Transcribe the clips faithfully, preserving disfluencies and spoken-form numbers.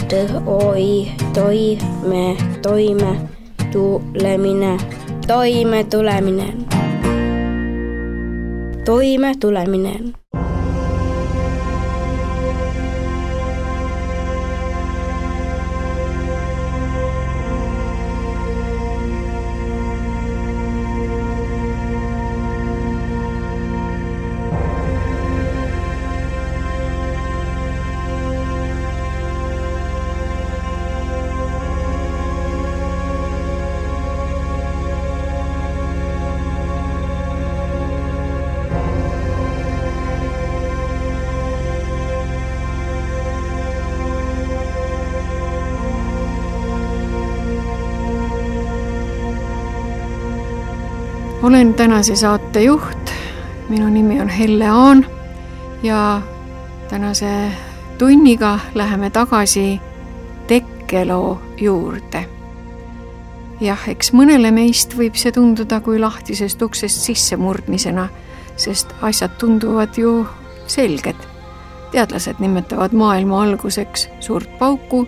T, O, I, toime, toime, tulemine, toime tuleminen, toime tuleminen. Olen tänase saate juht, minu nimi on Helle Aan ja tänase tunniga läheme tagasi tekkeloo juurde. Jah, eks mõnele meist võib see tunduda kui lahtisest uksest sissemurdmisena, sest asjad tunduvad ju selged. Teadlased nimetavad maailma alguseks suurt pauku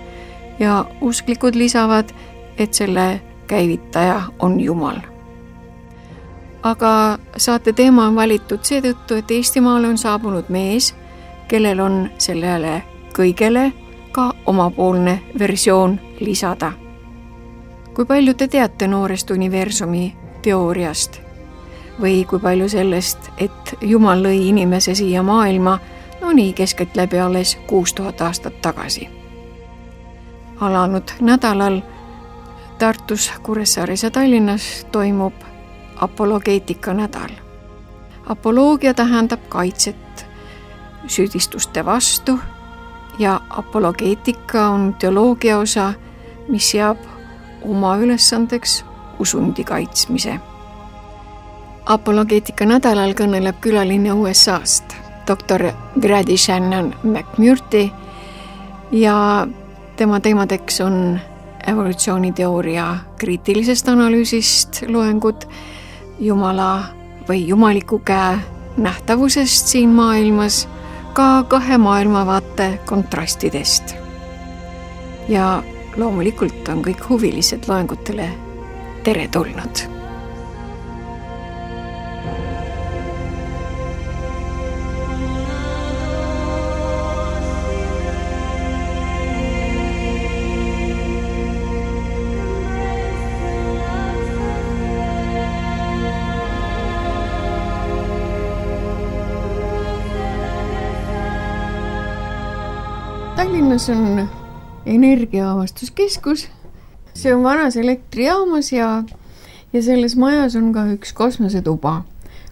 ja usklikud lisavad, et selle käivitaja on Jumal. Aga saate teema on valitud seetõttu, et Eestimaale on saabunud mees, kellel on sellele kõigele ka omapoolne versioon lisada. Kui palju te teate noorest universumi teooriast? Või kui palju sellest, et Jumal lõi inimese siia maailma, no nii keskeltläbi alles kuus tuhat aastat tagasi? Alanud nädalal Tartus, Kuressaares ja Tallinnas toimub apologeetika nädal. Apoloogia tähendab kaitset süüdistuste vastu ja apologeetika on teoloogia osa, mis seab oma ülesandeks usundi kaitsmise. Apologeetika nädalal kõneleb külaline U S A-st, doktor Grady Shannon McMurtry ja tema teemadeks on evolutsiooniteooria kriitilisest analüüsist loengud, Jumala või jumaliku käe nähtavusest siin maailmas, ka kahe maailmavaate kontrastidest. Ja loomulikult on kõik huvilised loengutele tere tulnud. Tallinnas on energiaavastuskeskus. See on vanas elektrijaamas ja, ja selles majas on ka üks kosmosetuba,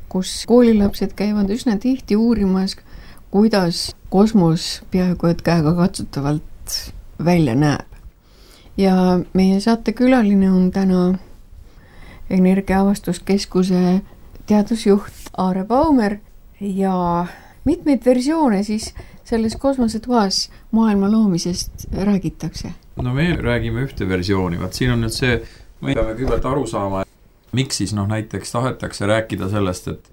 kus koolilapsed käivad üsna tihti uurimas, kuidas kosmos peaaegu et käega katsutavalt välja näeb. Ja meie saatekülaline on täna energiaavastuskeskuse teadusjuht Aare Baumer ja mitmeid versioone siis selles kosmosetuas maailma loomisest räägitakse? No me räägime ühte versiooni, vaat siin on nüüd see, me peame kõigepealt aru saama, miks siis noh, näiteks tahetakse rääkida sellest, et,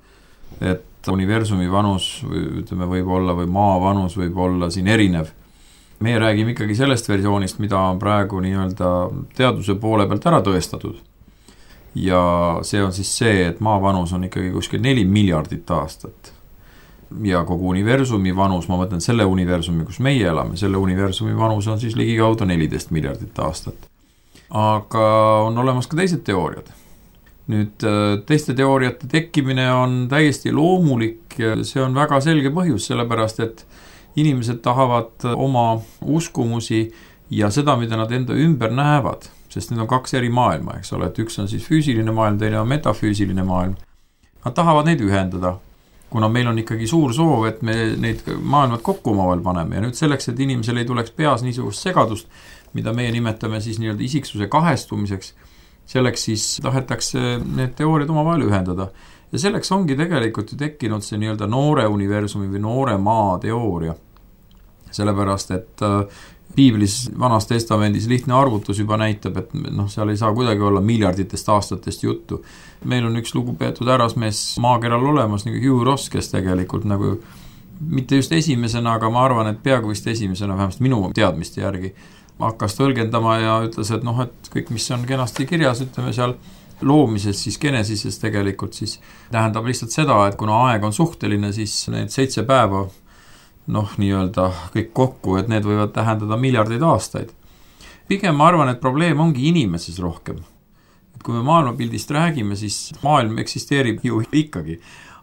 et universumi vanus ütleme, võib olla või maa vanus võib olla siin erinev. Me räägime ikkagi sellest versioonist, mida on praegu nii-öelda teaduse poole pealt ära tõestatud. Ja see on siis see, et maa vanus on ikkagi kuskil neli miljardit aastat. Ja kogu universumi vanus, ma mõtlen selle universumi, kus meie elame, selle universumi vanus on siis ligikaudu neliteist miljardit aastat. Aga on olemas ka teised teooriad. Nüüd teiste teooriate tekkimine on täiesti loomulik ja see on väga selge põhjus, sellepärast et inimesed tahavad oma uskumusi ja seda, mida nad enda ümber näevad, sest need on kaks eri maailma, eks ole, et üks on siis füüsiline maailm, teine on metafüüsiline maailm. Nad tahavad neid ühendada, kuna meil on ikkagi suur soov, et me neid maailmad kokku omavahel paneme ja nüüd selleks, et inimesel ei tuleks peas niisugust segadust, mida meie nimetame siis nii-öelda isiksuse kahestumiseks, selleks siis tahetakse need teooriad omavahel ühendada. Ja selleks ongi tegelikult ju tekkinud see nii-öelda noore universumi või noore maa teooria. Sellepärast, et Piiblis vanas testamendis lihtne arvutus juba näitab, et noh, seal ei saa kuidagi olla miljarditest aastatest juttu. Meil on üks lugupeetud härrasmees maakeral olemas, nagu Hugh Ross, kes tegelikult nagu mitte just esimesena, aga ma arvan, et peaaegu vist esimesena, vähemasti minu teadmiste järgi, hakkas tõlgendama ja ütles, et noh, et kõik, mis on kenasti kirjas, ütleme seal loomises, siis Genesises tegelikult siis tähendab lihtsalt seda, et kuna aeg on suhteline, siis need seitse päeva, noh, nii-öelda kõik kokku, et need võivad tähendada miljardeid aastaid. Pigem ma arvan, et probleem ongi inimeses rohkem. Et kui me maailmapildist räägime, siis maailm eksisteerib ju ikkagi.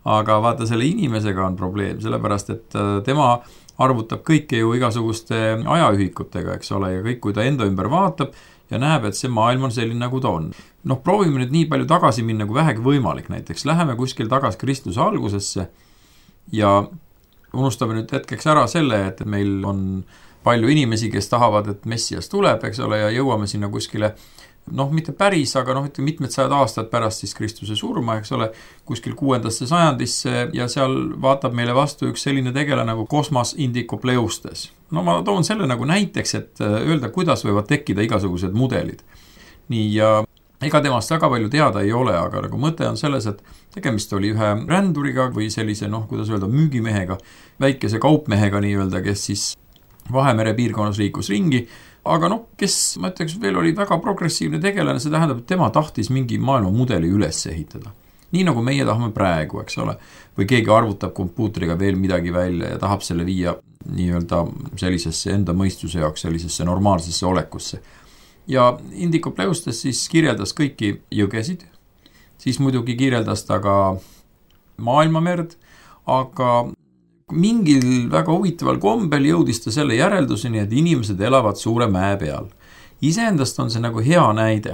Aga vaata, selle inimesega on probleem, sellepärast, et tema arvutab kõike ju igasuguste ajaühikutega, eks ole, ja kõik, kui ta enda ümber vaatab ja näeb, et see maailm on selline, nagu ta on. Noh, proovime nüüd nii palju tagasi minna, kui vähegi võimalik. Näiteks läheme kuskil tagasi Kristuse algusesse ja unustame nüüd hetkeks ära selle, et meil on palju inimesi, kes tahavad, et Messias tuleb, eks ole, ja jõuame sinna kuskile, noh, mitte päris, aga noh, ütleme mitmed sajad aastad pärast siis Kristuse surma, eks ole, kuskil kuuendasse sajandisse ja seal vaatab meile vastu üks selline tegele nagu Kosmas Indicopleustes. No ma toon selle nagu näiteks, et öelda, kuidas võivad tekkida igasugused mudelid. Nii, ja ega temast väga palju teada ei ole, aga nagu mõte on selles, et tegemist oli ühe ränduriga või sellise, noh, kuidas öelda, müügimehega, väikese kaupmehega nii-öelda, kes siis Vahemere piirkonnas liikus ringi, aga noh, kes, ma ütleks, veel oli väga progressiivne tegelane, see tähendab, et tema tahtis mingi maailma mudeli üles ehitada. Nii nagu meie tahame praegu, eks ole, või keegi arvutab kompuutriga veel midagi välja ja tahab selle viia nii-öelda sellisesse enda mõistuse jaoks, sellisesse normaalsesse olekusse. Ja Indicopleustes siis kirjeldas kõiki jõgesid, siis muidugi kirjeldas ta ka maailmamerd, aga mingil väga huvitaval kombel jõudis ta selle järelduseni, et inimesed elavad suure mäe peal. Iseendast on see nagu hea näide.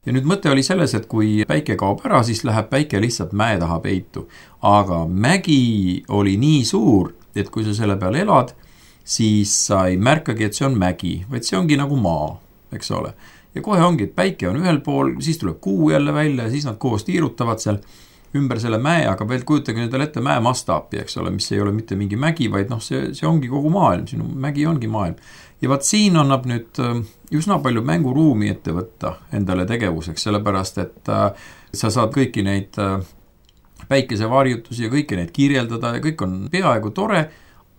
Ja nüüd mõte oli selles, et kui päike kaob ära, siis läheb päike lihtsalt mäe taha peitu. Aga mägi oli nii suur, et kui sa selle peal elad, siis sa ei märkagi, et see on mägi, vaid see ongi nagu maa, eks ole. Ja kohe ongi, et päike on ühel pool, siis tuleb kuu jälle välja ja siis nad koos tiirutavad seal ümber selle mäe, aga veel kujutage nüüd ette mäe mastaapi, eks ole, mis ei ole mitte mingi mägi, vaid noh, see, see ongi kogu maailm, sinu mägi ongi maailm. Ja vaat siin annab nüüd üsna palju mänguruumi ette võtta endale tegevuseks, sellepärast, et sa saad kõiki neid päikesevarjutusi ja kõiki neid kirjeldada ja kõik on peaaegu tore,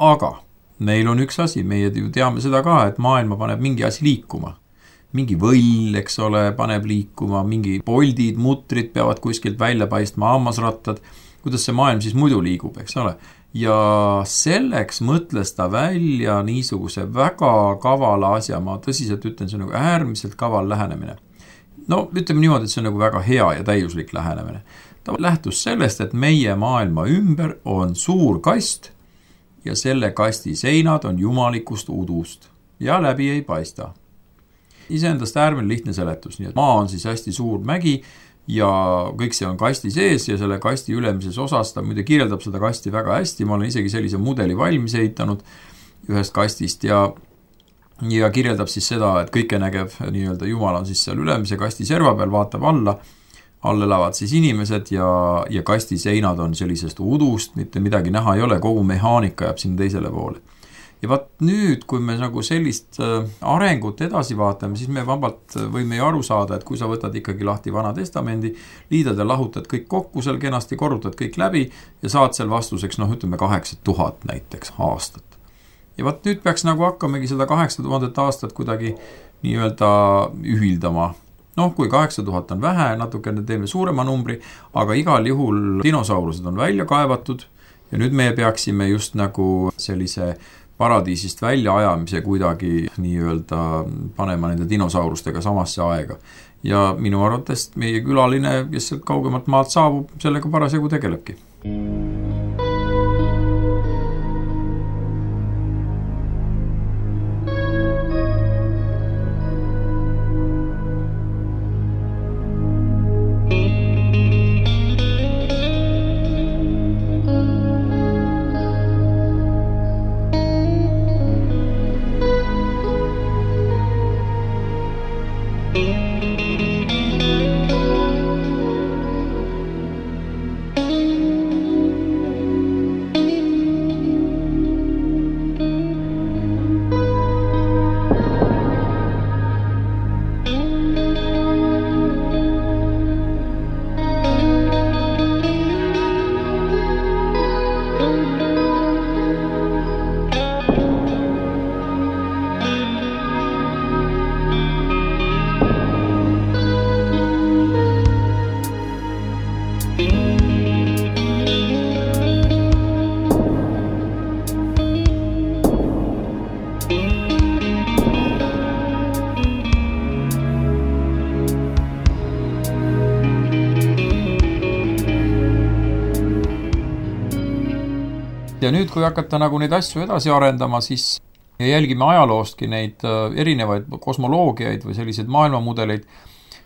aga meil on üks asi, meie ju teame seda ka, et maailma paneb mingi asi liikuma. Mingi võll, eks ole, paneb liikuma, mingi poldid, mutrid peavad kuskilt välja paistma, hammasrattad, kuidas see maailm siis muidu liigub, eks ole. Ja selleks mõtles ta välja niisuguse väga kavala asja, ma tõsiselt ütlen, see on nagu äärmiselt kaval lähenemine. No ütleme niimoodi, et see on nagu väga hea ja täiuslik lähenemine. Ta lähtus sellest, et meie maailma ümber on suur kast ja selle kasti seinad on jumalikust udust ja läbi ei paista. Iseendast äärmine lihtne seletus, nii et maa on siis hästi suur mägi ja kõik see on kasti sees ja selle kasti ülemises osas, ta muide kirjeldab seda kasti väga hästi, ma olen isegi sellise mudeli valmis ehitanud ühest kastist ja, ja kirjeldab siis seda, et kõike nägev nii-öelda Jumal on siis seal ülemise kasti serva peal, vaatab alla, all elavad siis inimesed ja, ja kasti seinad on sellisest udust, mitte midagi näha ei ole, kogu mehaanika jääb sinna teisele poole. Ja vaat nüüd, kui me nagu sellist arengut edasi vaatame, siis me vabalt võime ju aru saada, et kui sa võtad ikkagi lahti Vana Testamendi, liidad ja lahutad kõik kokku, seal kenasti korrutad kõik läbi ja saad seal vastuseks, noh ütleme kaheksa tuhat näiteks aastat. Ja vaat nüüd peaks nagu hakkamegi seda kaheksa tuhandet aastat kuidagi nii-öelda ühildama. Noh, kui kaheksa tuhat on vähe, natukene teeme suurema numbri, aga igal juhul dinosaurused on välja kaevatud ja nüüd me peaksime just nagu sellise paradiisist välja ajamise kuidagi nii-öelda panema nende dinosaurustega samasse aega. Ja minu arvates meie külaline, kes sealt kaugemalt maalt saabub, sellega parasjagu tegelebki. ja nüüd, kui hakata nagu neid asju edasi arendama, siis ja jälgime ajaloostki neid erinevaid kosmoloogiaid või selliseid maailmamudeleid,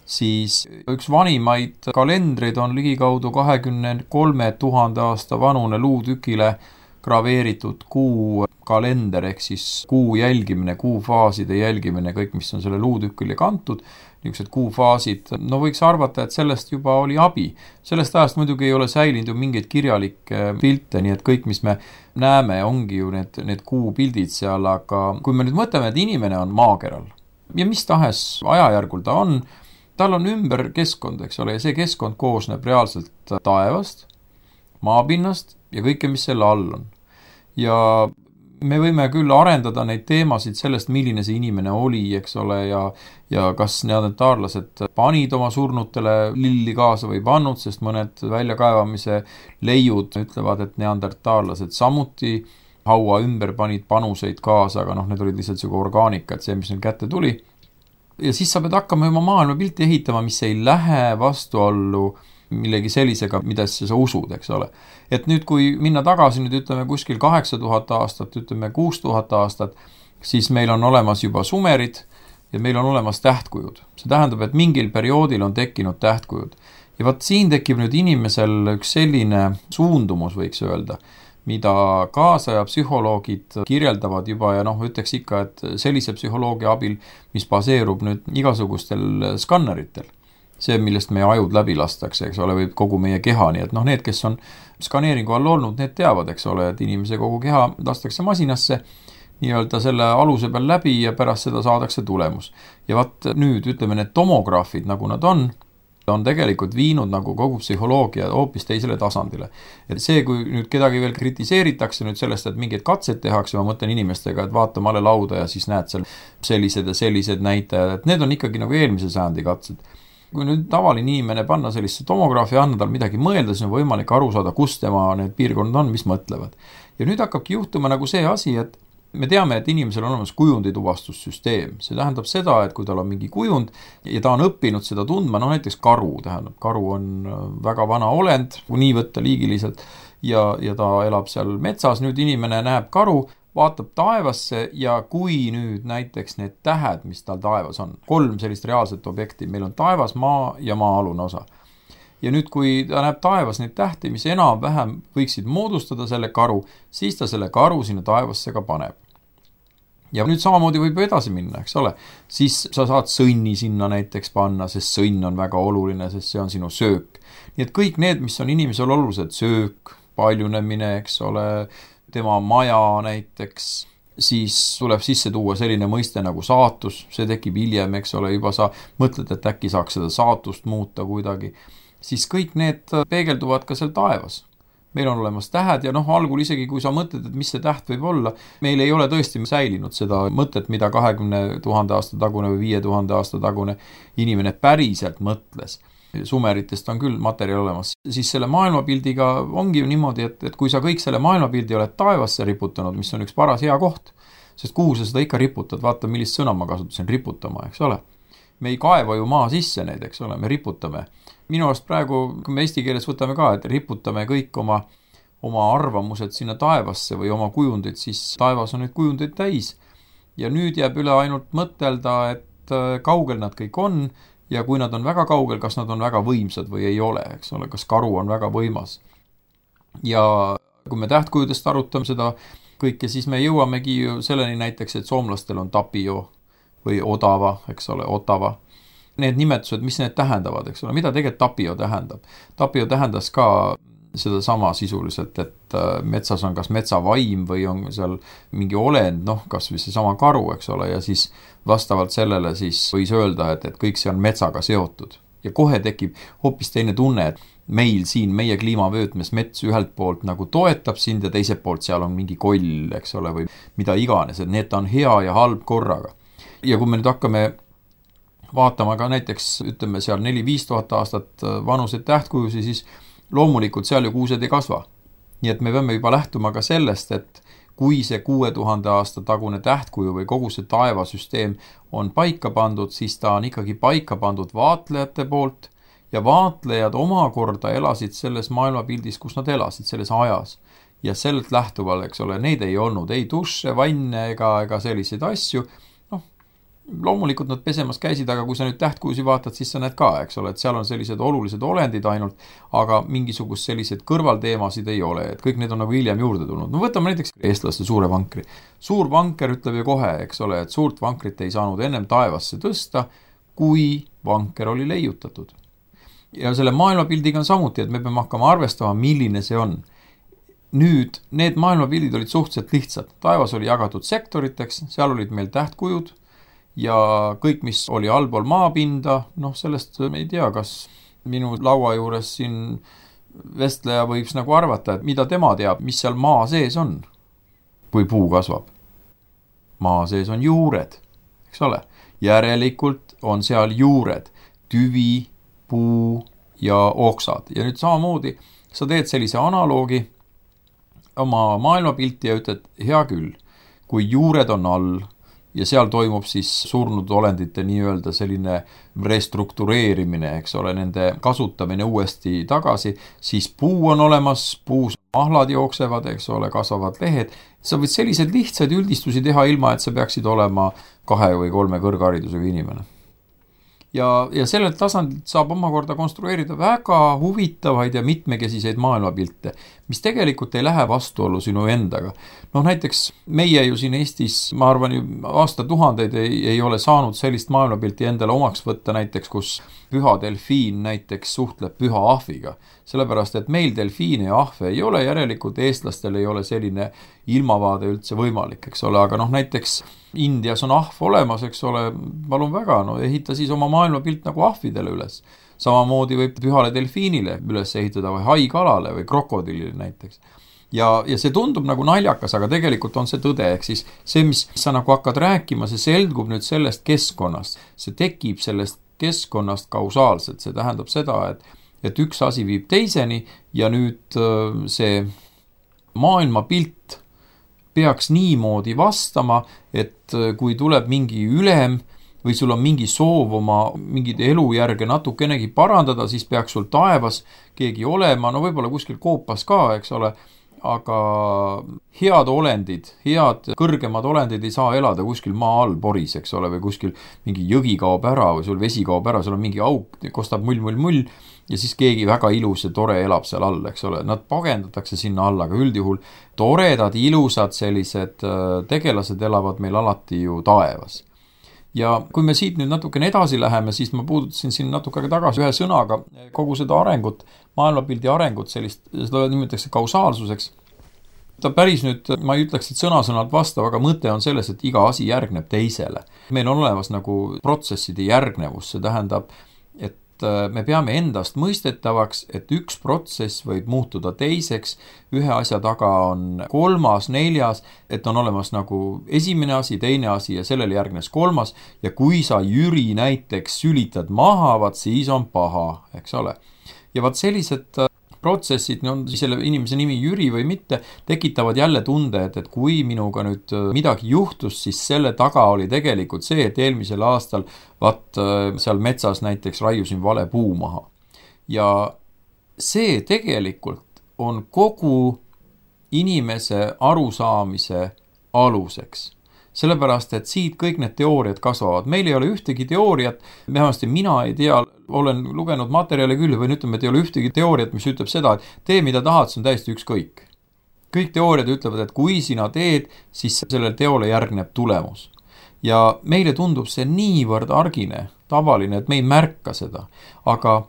siis üks vanimaid kalendreid on ligikaudu kahekümne kolme tuhande aasta vanune luutükile graveeritud kuu kalender, ehk siis kuu jälgimine, kuufaaside jälgimine, kõik, mis on selle luutükile kantud, niisugused kuufaasid, no võiks arvata, et sellest juba oli abi. Sellest ajast muidugi ei ole säilinud ju mingeid kirjalikke pilte, nii et kõik, mis me näeme, ongi ju need, need kuupildid seal, aga kui me nüüd mõtleme, et inimene on maakeral ja mis tahes ajajärgul ta on, tal on ümber keskkond, eks ole, ja see keskkond koosneb reaalselt taevast, maapinnast ja kõike, mis selle all on. Ja me võime küll arendada neid teemasid sellest, milline see inimene oli, eks ole, ja, ja kas neandertaarlased panid oma surnutele lilli kaasa või pannud, sest mõned väljakaevamise leiud ütlevad, et neandertaarlased samuti haua ümber panid panuseid kaasa, aga noh, need olid lihtsalt siuke orgaanika, et see, mis nüüd kätte tuli. Ja siis sa pead hakkama oma maailma pilti ehitama, mis ei lähe vastuollu millegi sellisega, mida sa usud, eks ole. Et nüüd, kui minna tagasi, nüüd ütleme kuskil kaheksa tuhat aastat, ütleme kuus tuhat aastat, siis meil on olemas juba sumerid ja meil on olemas tähtkujud. See tähendab, et mingil perioodil on tekkinud tähtkujud. Ja vaat siin tekib nüüd inimesel üks selline suundumus, võiks öelda, mida kaasaja psühholoogid kirjeldavad juba ja noh, ütleks ikka, et sellise psühholoogia abil, mis baseerub nüüd igasugustel skanneritel. See, millest meie ajud läbi lastakse, eks ole, või kogu meie keha, nii et noh, need, kes on skaneeringu all olnud, need teavad, eks ole, et inimese kogu keha lastakse masinasse, nii-öelda selle aluse peal läbi ja pärast seda saadakse tulemus. Ja vaat nüüd, ütleme, need tomograafid, nagu nad on, on tegelikult viinud nagu kogu psühholoogia hoopis teisele tasandile. Et see, kui nüüd kedagi veel kritiseeritakse nüüd sellest, et mingeid katseid tehakse, ma mõtlen inimestega, et vaata male lauda ja siis näed seal sellised ja sellised näitajad, et need on ikkagi nagu eelmise sajandi katsed. Kui nüüd tavaline inimene panna sellisse tomograafi ja anna tal midagi mõelda, siis on võimalik aru saada, kus tema need piirkonnad on, mis mõtlevad. Ja nüüd hakkabki juhtuma nagu see asi, et me teame, et inimesel on olemas kujundituvastussüsteem. See tähendab seda, et kui tal on mingi kujund ja ta on õppinud seda tundma, no näiteks karu tähendab. Karu on väga vana olend, kui nii võtta liigiliselt, ja, ja ta elab seal metsas. Nüüd inimene näeb karu, vaatab taevasse ja kui nüüd näiteks need tähed, mis tal taevas on, kolm sellist reaalset objekti, meil on taevas, maa ja maa-alune osa. Ja nüüd, kui ta näeb taevas neid tähti, mis enam-vähem võiksid moodustada selle karu, siis ta selle karu sinna taevasse ka paneb. Ja nüüd samamoodi võib edasi minna, eks ole. Siis sa saad sõnni sinna näiteks panna, sest sõnn on väga oluline, sest see on sinu söök. Nii et kõik need, mis on inimesel olulised, söök, paljunemine, eks ole, tema maja näiteks, siis tuleb sisse tuua selline mõiste nagu saatus, see tekib hiljem, eks ole, juba sa mõtled, et äkki saaks seda saatust muuta kuidagi, siis kõik need peegelduvad ka seal taevas. Meil on olemas tähed ja noh, algul isegi kui sa mõtled, et mis see täht võib olla, meil ei ole tõesti säilinud seda mõtet, mida kahekümne tuhande aasta tagune või viie tuhande aasta tagune inimene päriselt mõtles. Sumeritest on küll materjal olemas. Siis selle maailmapildiga ongi ju niimoodi, et, et kui sa kõik selle maailmapildi oled taevasse riputanud, mis on üks paras hea koht, sest kuhu sa seda ikka riputad, vaata millist sõna ma kasutasin, riputama, eks ole. Me ei kaeva ju maa sisse neid, eks ole, me riputame. Minu arust praegu, kui me eesti keeles võtame ka, et riputame kõik oma, oma arvamused sinna taevasse või oma kujundid, siis taevas on neid kujundeid täis. Ja nüüd jääb üle ainult mõtelda, et kaugel nad kõik on, ja kui nad on väga kaugel, kas nad on väga võimsad või ei ole, eks ole, kas karu on väga võimas. Ja kui me tähtkujudest arutame seda kõike, siis me jõuamegi selleni näiteks, et soomlastel on tapio või odava, eks ole, otava. Need nimetused, mis need tähendavad, eks ole, mida tegelikult tapio tähendab? Tapio tähendas ka seda sama sisuliselt, et metsas on kas metsavaim või on seal mingi olend, noh, kas või see sama karu, eks ole, ja siis vastavalt sellele siis võis öelda, et, et kõik see on metsaga seotud. Ja kohe tekib hoopis teine tunne, et meil siin, meie kliimavöötmes mets ühelt poolt nagu toetab sind ja teiselt poolt seal on mingi koll, eks ole, või mida iganes, et need on hea ja halb korraga. Ja kui me nüüd hakkame vaatama ka näiteks, ütleme seal neli-viis tuhat aastat vanuseid tähtkujusi, siis loomulikult seal ju kuused ei kasva. Nii et me peame juba lähtuma ka sellest, et kui see kuue tuhande aasta tagune tähtkuju või kogu see taevasüsteem on paika pandud, siis ta on ikkagi paika pandud vaatlejate poolt ja vaatlejad omakorda elasid selles maailmapildis, kus nad elasid, selles ajas. ja sellelt lähtuval, eks ole, neid ei olnud, ei duše, vanne ega, ega selliseid asju. Noh, loomulikult nad pesemas käisid, aga kui sa nüüd tähtkujusi vaatad, siis sa näed ka, eks ole, et seal on sellised olulised olendid ainult, aga mingisugust sellised kõrvalteemasid ei ole, et kõik need on nagu hiljem juurde tulnud. No võtame näiteks eestlaste suure vankri. Suur vanker ütleb ju kohe, eks ole, et suurt vankrit ei saanud ennem taevasse tõsta, kui vanker oli leiutatud. Ja selle maailmapildiga on samuti, et me peame hakkama arvestama, milline see on. Nüüd, need maailmapildid olid suhteliselt lihtsad. Taevas oli jagatud sektoriteks, seal olid meil tähtkujud ja kõik, mis oli allpool maapinda, noh, sellest me ei tea, kas minu laua juures siin vestleja võiks nagu arvata, et mida tema teab, mis seal maa sees on, kui puu kasvab. Maa sees on juured, eks ole. Järelikult on seal juured, tüvi, puu ja oksad. Ja nüüd samamoodi sa teed sellise analoogi oma maailmapilti ja ütled, hea küll, kui juured on all ja seal toimub siis surnud olendite nii-öelda selline restruktureerimine, eks ole, nende kasutamine uuesti tagasi, siis puu on olemas, puus mahlad jooksevad, eks ole, kasvavad lehed. Sa võid selliseid lihtsaid üldistusi teha ilma, et sa peaksid olema kahe või kolme kõrgharidusega inimene. Ja, ja sellelt tasandilt saab omakorda konstrueerida väga huvitavaid ja mitmekesiseid maailmapilte, mis tegelikult ei lähe vastuollu sinu endaga. No näiteks meie ju siin Eestis, ma arvan, ju aastatuhandeid ei, ei ole saanud sellist maailmapilti endale omaks võtta näiteks, kus püha delfiin näiteks suhtleb püha ahviga. Sellepärast, et meil delfiine ja ahve ei ole, järelikult eestlastel ei ole selline ilmavaade üldse võimalik, eks ole, aga noh, näiteks Indias on ahv olemas, eks ole, palun väga, no ehita siis oma maailmapilt nagu ahvidele üles. Samamoodi võib pühale delfiinile üles ehitada või haikalale või krokodillile näiteks. Ja, ja see tundub nagu naljakas, aga tegelikult on see tõde, ehk siis see, mis sa nagu hakkad rääkima, see selgub nüüd sellest keskkonnast. See tekib sellest keskkonnast kausaalselt, see tähendab seda, et, et üks asi viib teiseni ja nüüd see maailmapilt peaks niimoodi vastama, et kui tuleb mingi ülem või sul on mingi soov oma mingid elujärge natukenegi parandada, siis peaks sul taevas keegi olema, no võib-olla kuskil koopas ka, eks ole, aga head olendid, head kõrgemad olendid ei saa elada kuskil maa all poris, eks ole, või kuskil mingi jõgi kaob ära või sul vesi kaob ära, sul on mingi auk, kostab mull, mull, mull ja siis keegi väga ilus ja tore elab seal all, eks ole. Nad pagendatakse sinna alla, aga üldjuhul toredad, ilusad sellised tegelased elavad meil alati ju taevas. Ja kui me siit nüüd natukene edasi läheme, siis ma puudutasin siin natuke tagasi ühe sõnaga kogu seda arengut, maailmapildi arengut, sellist, seda nimetatakse kausaalsuseks. Ta päris nüüd, ma ei ütleks, et sõna-sõnalt vastav, aga mõte on selles, et iga asi järgneb teisele. Meil on olemas nagu protsesside järgnevus, see tähendab, et me peame endast mõistetavaks, et üks protsess võib muutuda teiseks, ühe asja taga on kolmas, neljas, et on olemas nagu esimene asi, teine asi ja sellele järgnes kolmas ja kui sa Jüri näiteks sülitad maha, vaat siis on paha, eks ole. Ja vaat sellised protsessid, on selle inimese nimi Jüri või mitte, tekitavad jälle tunde, et, et kui minuga nüüd midagi juhtus, siis selle taga oli tegelikult see, et eelmisel aastal vaat seal metsas näiteks raiusin vale puu maha. Ja see tegelikult on kogu inimese arusaamise aluseks. Sellepärast, et siit kõik need teooriad kasvavad. Meil ei ole ühtegi teooriat, vähemasti mina ei tea, olen lugenud materjale küll, või ütleme, et ei ole ühtegi teooriat, mis ütleb seda, et tee mida tahad, see on täiesti ükskõik. Kõik teooriad ütlevad, et kui sina teed, siis sellel teole järgneb tulemus. Ja meile tundub see niivõrd argine, tavaline, et me ei märka seda. Aga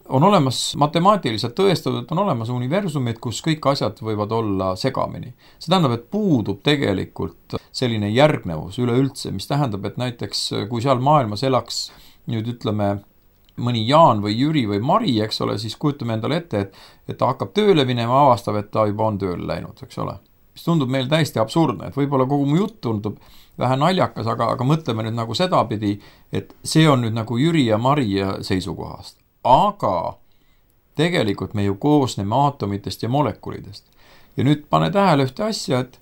on olemas matemaatiliselt tõestatud, et on olemas universumid, kus kõik asjad võivad olla segamini. See tähendab, et puudub tegelikult selline järgnevus üleüldse, mis tähendab, et näiteks kui seal maailmas elaks nüüd ütleme mõni Jaan või Jüri või Mari, eks ole, siis kujutame endale ette, et, et ta hakkab tööle minema, avastab, et ta juba on tööle läinud, eks ole. Mis tundub meil täiesti absurdne, et võib-olla kogu mu jutt tundub vähe naljakas, aga, aga mõtleme nüüd nagu sedapidi, et see on nüüd nagu Jüri ja Mari seisukohast. Aga tegelikult me ju koosneme aatomitest ja molekulidest. Ja nüüd pane tähele ühte asja, et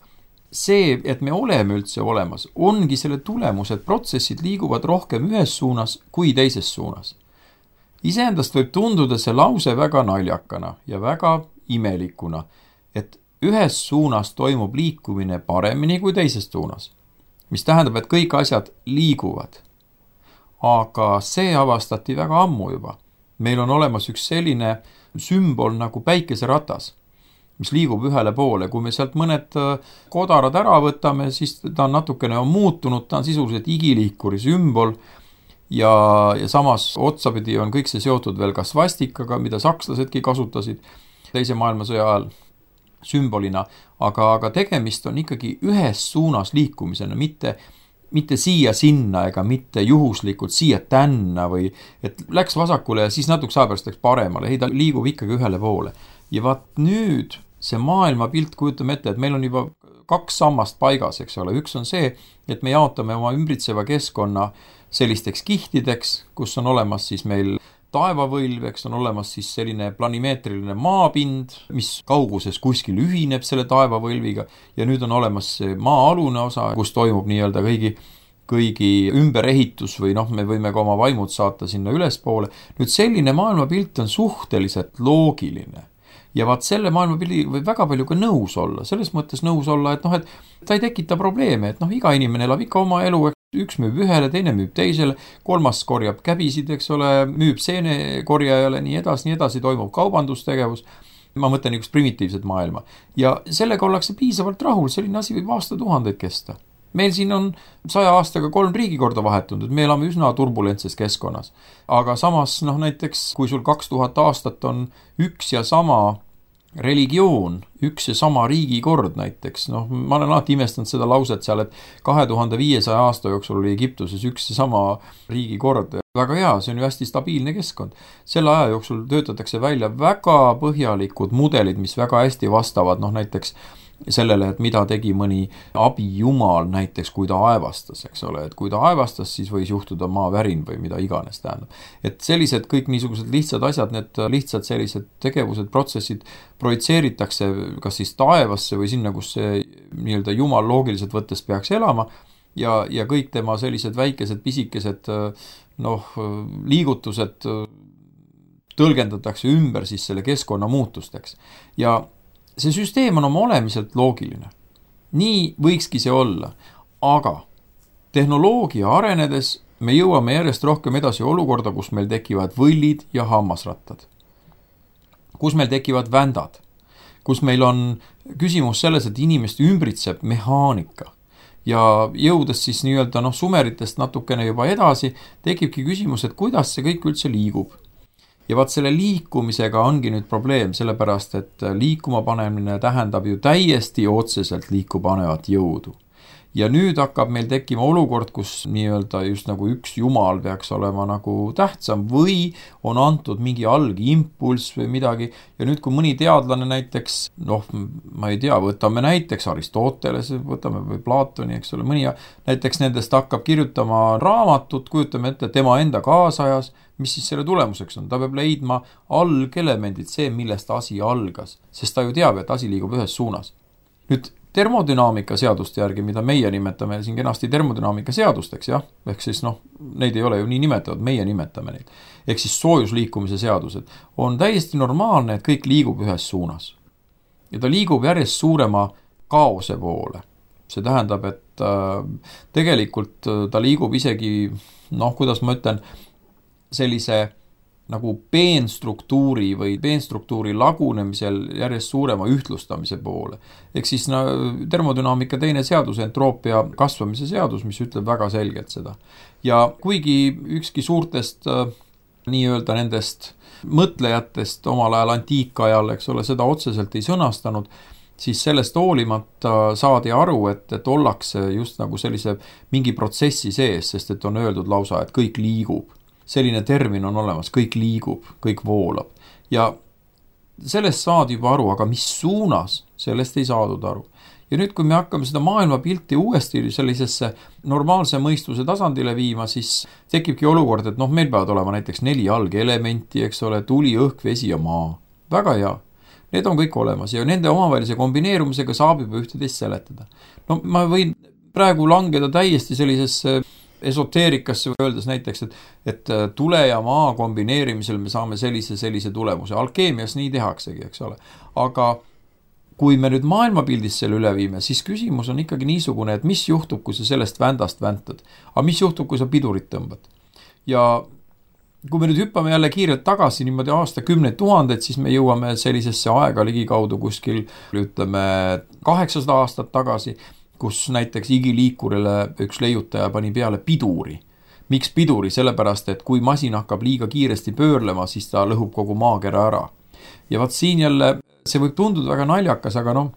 see, et me oleme üldse olemas, ongi selle tulemus, et protsessid liiguvad rohkem ühes suunas kui teises suunas. Iseendast võib tunduda see lause väga naljakana ja väga imelikuna, et ühes suunas toimub liikumine paremini kui teises suunas, mis tähendab, et kõik asjad liiguvad. Aga see avastati väga ammu juba. Meil on olemas üks selline sümbol nagu päikeseratas, mis liigub ühele poole. Kui me sealt mõned kodarad ära võtame, siis ta on natukene on muutunud, ta on sisuliselt igiliikuri sümbol ja, ja samas otsapidi on kõik see seotud veel ka svastikaga, mida sakslasedki kasutasid teise maailmasõja ajal sümbolina, aga, aga tegemist on ikkagi ühes suunas liikumisena, mitte mitte siia sinna ega mitte juhuslikult siia tänna või et läks vasakule ja siis natuke ajapärast läks paremale. Ei, ta liigub ikkagi ühele poole. Ja vaat nüüd see maailmapilt kujutame ette, et meil on juba kaks sammast paigas, eks ole. Üks on see, et me jaotame oma ümbritseva keskkonna sellisteks kihtideks, kus on olemas siis meil taevavõlv, eks on olemas siis selline planimeetriline maapind, mis kauguses kuskil ühineb selle taevavõlviga ja nüüd on olemas see maa-alune osa, kus toimub nii-öelda kõigi, kõigi ümberehitus või noh, me võime ka oma vaimud saata sinna ülespoole. Nüüd selline maailmapilt on suhteliselt loogiline ja vaat selle maailmapildi võib väga palju ka nõus olla, selles mõttes nõus olla, et noh, et ta ei tekita probleeme, et noh, iga inimene elab ikka oma elu, üks müüb ühele, teine müüb teisele, kolmas korjab käbisid, eks ole, müüb seenekorjajale, nii edasi, nii edasi toimub kaubandustegevus. Ma mõtlen üks primitiivset maailma. Ja sellega ollakse piisavalt rahul, selline asi võib aastatuhandeid kesta. Meil siin on saja aastaga kolm riigikorda vahetunud, me elame üsna turbulentses keskkonnas. Aga samas, noh näiteks, kui sul kaks tuhat aastat on üks ja sama religioon, üks ja sama riigikord näiteks, noh, ma olen alati imestanud seda lauset seal, et kahe tuhande viiesaja aasta jooksul oli Egiptuses üks ja sama riigikord. Väga hea, see on ju hästi stabiilne keskkond. Selle aja jooksul töötatakse välja väga põhjalikud mudelid, mis väga hästi vastavad, noh näiteks sellele, et mida tegi mõni abijumal näiteks, kui ta aevastas, eks ole, et kui ta aevastas, siis võis juhtuda maavärin või mida iganes tähendab. Et sellised kõik niisugused lihtsad asjad, need lihtsad sellised tegevused, protsessid projitseeritakse kas siis taevasse või sinna, kus see nii-öelda jumal loogiliselt võttes peaks elama ja, ja kõik tema sellised väikesed, pisikesed noh, liigutused tõlgendatakse ümber siis selle keskkonna muutusteks. Ja see süsteem on oma olemiselt loogiline. Nii võikski see olla. Aga tehnoloogia arenedes me jõuame järjest rohkem edasi olukorda, kus meil tekivad võllid ja hammasrattad. Kus meil tekivad vändad. Kus meil on küsimus selles, et inimest ümbritseb mehaanika. Ja jõudes siis nii-öelda noh, sumeritest natukene juba edasi, tekibki küsimus, et kuidas see kõik üldse liigub. Ja vaat selle liikumisega ongi nüüd probleem, sellepärast, et liikuma panemine tähendab ju täiesti otseselt liikupanevat jõudu. Ja nüüd hakkab meil tekkima olukord, kus nii-öelda just nagu üks jumal peaks olema nagu tähtsam või on antud mingi algimpulss või midagi. Ja nüüd, kui mõni teadlane näiteks, noh, ma ei tea, võtame näiteks Aristoteles, võtame või Platoni, eks ole, mõni näiteks nendest hakkab kirjutama raamatut, kujutame ette tema enda kaasajas, mis siis selle tulemuseks on? Ta peab leidma algelemendid, see, millest asi algas, sest ta ju teab, et asi liigub ühes suunas. Nüüd termodünaamika seaduste järgi, mida meie nimetame siin kenasti termodünaamika seadusteks, jah, ehk siis noh, neid ei ole ju nii nimetavad, meie nimetame neid, ehk siis soojusliikumise seadused, on täiesti normaalne, et kõik liigub ühes suunas. Ja ta liigub järjest suurema kaose poole. See tähendab, et äh, tegelikult ta liigub isegi, noh, kuidas ma ütlen, sellise nagu peenstruktuuri või peenstruktuuri lagunemisel järjest suurema ühtlustamise poole. Ehk siis no, termodünaamika teine seadus, entroopia kasvamise seadus, mis ütleb väga selgelt seda. Ja kuigi ükski suurtest äh, nii-öelda nendest mõtlejatest omal ajal antiikajal, eks ole, seda otseselt ei sõnastanud, siis sellest hoolimata saadi aru, et, et ollakse just nagu sellise mingi protsessi sees, sest et on öeldud lausa, et kõik liigub. Selline termin on olemas, kõik liigub, kõik voolab. Ja sellest saadi juba aru, aga mis suunas, sellest ei saadud aru. Ja nüüd, kui me hakkame seda maailmapilti uuesti sellisesse normaalse mõistuse tasandile viima, siis tekibki olukord, et noh, meil peavad olema näiteks neli algelementi, eks ole, tuli, õhk, vesi ja maa. Väga hea. Need on kõik olemas ja nende omavahelise kombineerumisega saab juba ühteteist seletada. No ma võin praegu langeda täiesti sellisesse esoteerikasse öeldes näiteks, et, et tule ja maa kombineerimisel me saame sellise, sellise tulemuse. Alkeemias nii tehaksegi, eks ole. Aga kui me nüüd maailmapildist selle üle viime, siis küsimus on ikkagi niisugune, et mis juhtub, kui sa sellest vändast väntad. Aga mis juhtub, kui sa pidurit tõmbad? Ja kui me nüüd hüppame jälle kiirelt tagasi niimoodi aasta kümneid tuhandeid, siis me jõuame sellisesse aega ligikaudu kuskil, ütleme, kaheksasada aastat tagasi, kus näiteks igiliikurile üks leiutaja pani peale piduri. Miks piduri? Sellepärast, et kui masin hakkab liiga kiiresti pöörlema, siis ta lõhub kogu maakera ära. Ja vaat siin jälle, see võib tunduda väga naljakas, aga noh,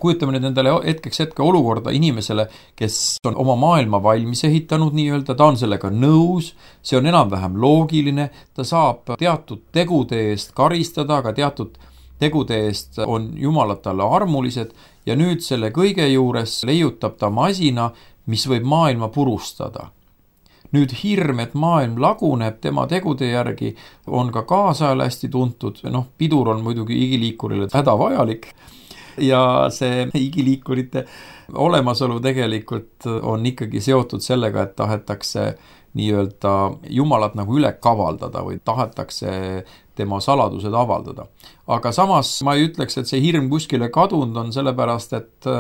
kujutame nüüd endale hetkeks hetke olukorda inimesele, kes on oma maailma valmis ehitanud nii-öelda, ta on sellega nõus, see on enam-vähem loogiline, ta saab teatud tegude eest karistada, aga teatud tegude eest on jumalad talle armulised ja nüüd selle kõige juures leiutab ta masina, mis võib maailma purustada. Nüüd hirm, et maailm laguneb tema tegude järgi, on ka kaasajal hästi tuntud. Noh, pidur on muidugi igiliikurile hädavajalik ja see igiliikurite olemasolu tegelikult on ikkagi seotud sellega, et tahetakse nii-öelda jumalat nagu üle kavaldada või tahetakse tema saladused avaldada. Aga samas ma ei ütleks, et see hirm kuskile kadunud on sellepärast, et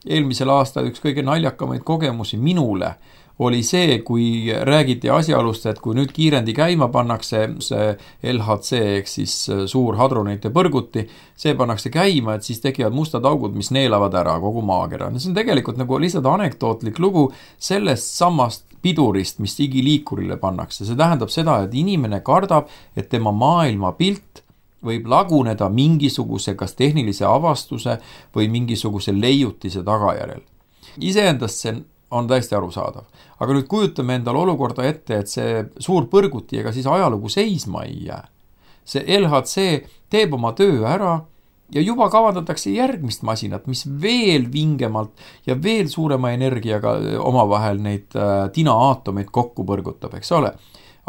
eelmisel aastal üks kõige naljakamaid kogemusi minule oli see, kui räägiti asjaolust, et kui nüüd kiirendi käima pannakse see L H C, ehk siis suur hadronite põrguti, see pannakse käima, et siis tekivad mustad augud, mis neelavad ära kogu maakera. See on tegelikult nagu lihtsalt anekdootlik lugu sellest samast pidurist, mis igiliikurile pannakse. See tähendab seda, et inimene kardab, et tema maailmapilt võib laguneda mingisuguse kas tehnilise avastuse või mingisuguse leiutise tagajärjel. Iseendast see on täiesti arusaadav. Aga nüüd kujutame endale olukorda ette, et see suur põrguti ega siis ajalugu seisma ei jää. See L H C teeb oma töö ära ja juba kavandatakse järgmist masinat, mis veel vingemalt ja veel suurema energiaga omavahel neid tina-aatomeid kokku põrgutab, eks ole.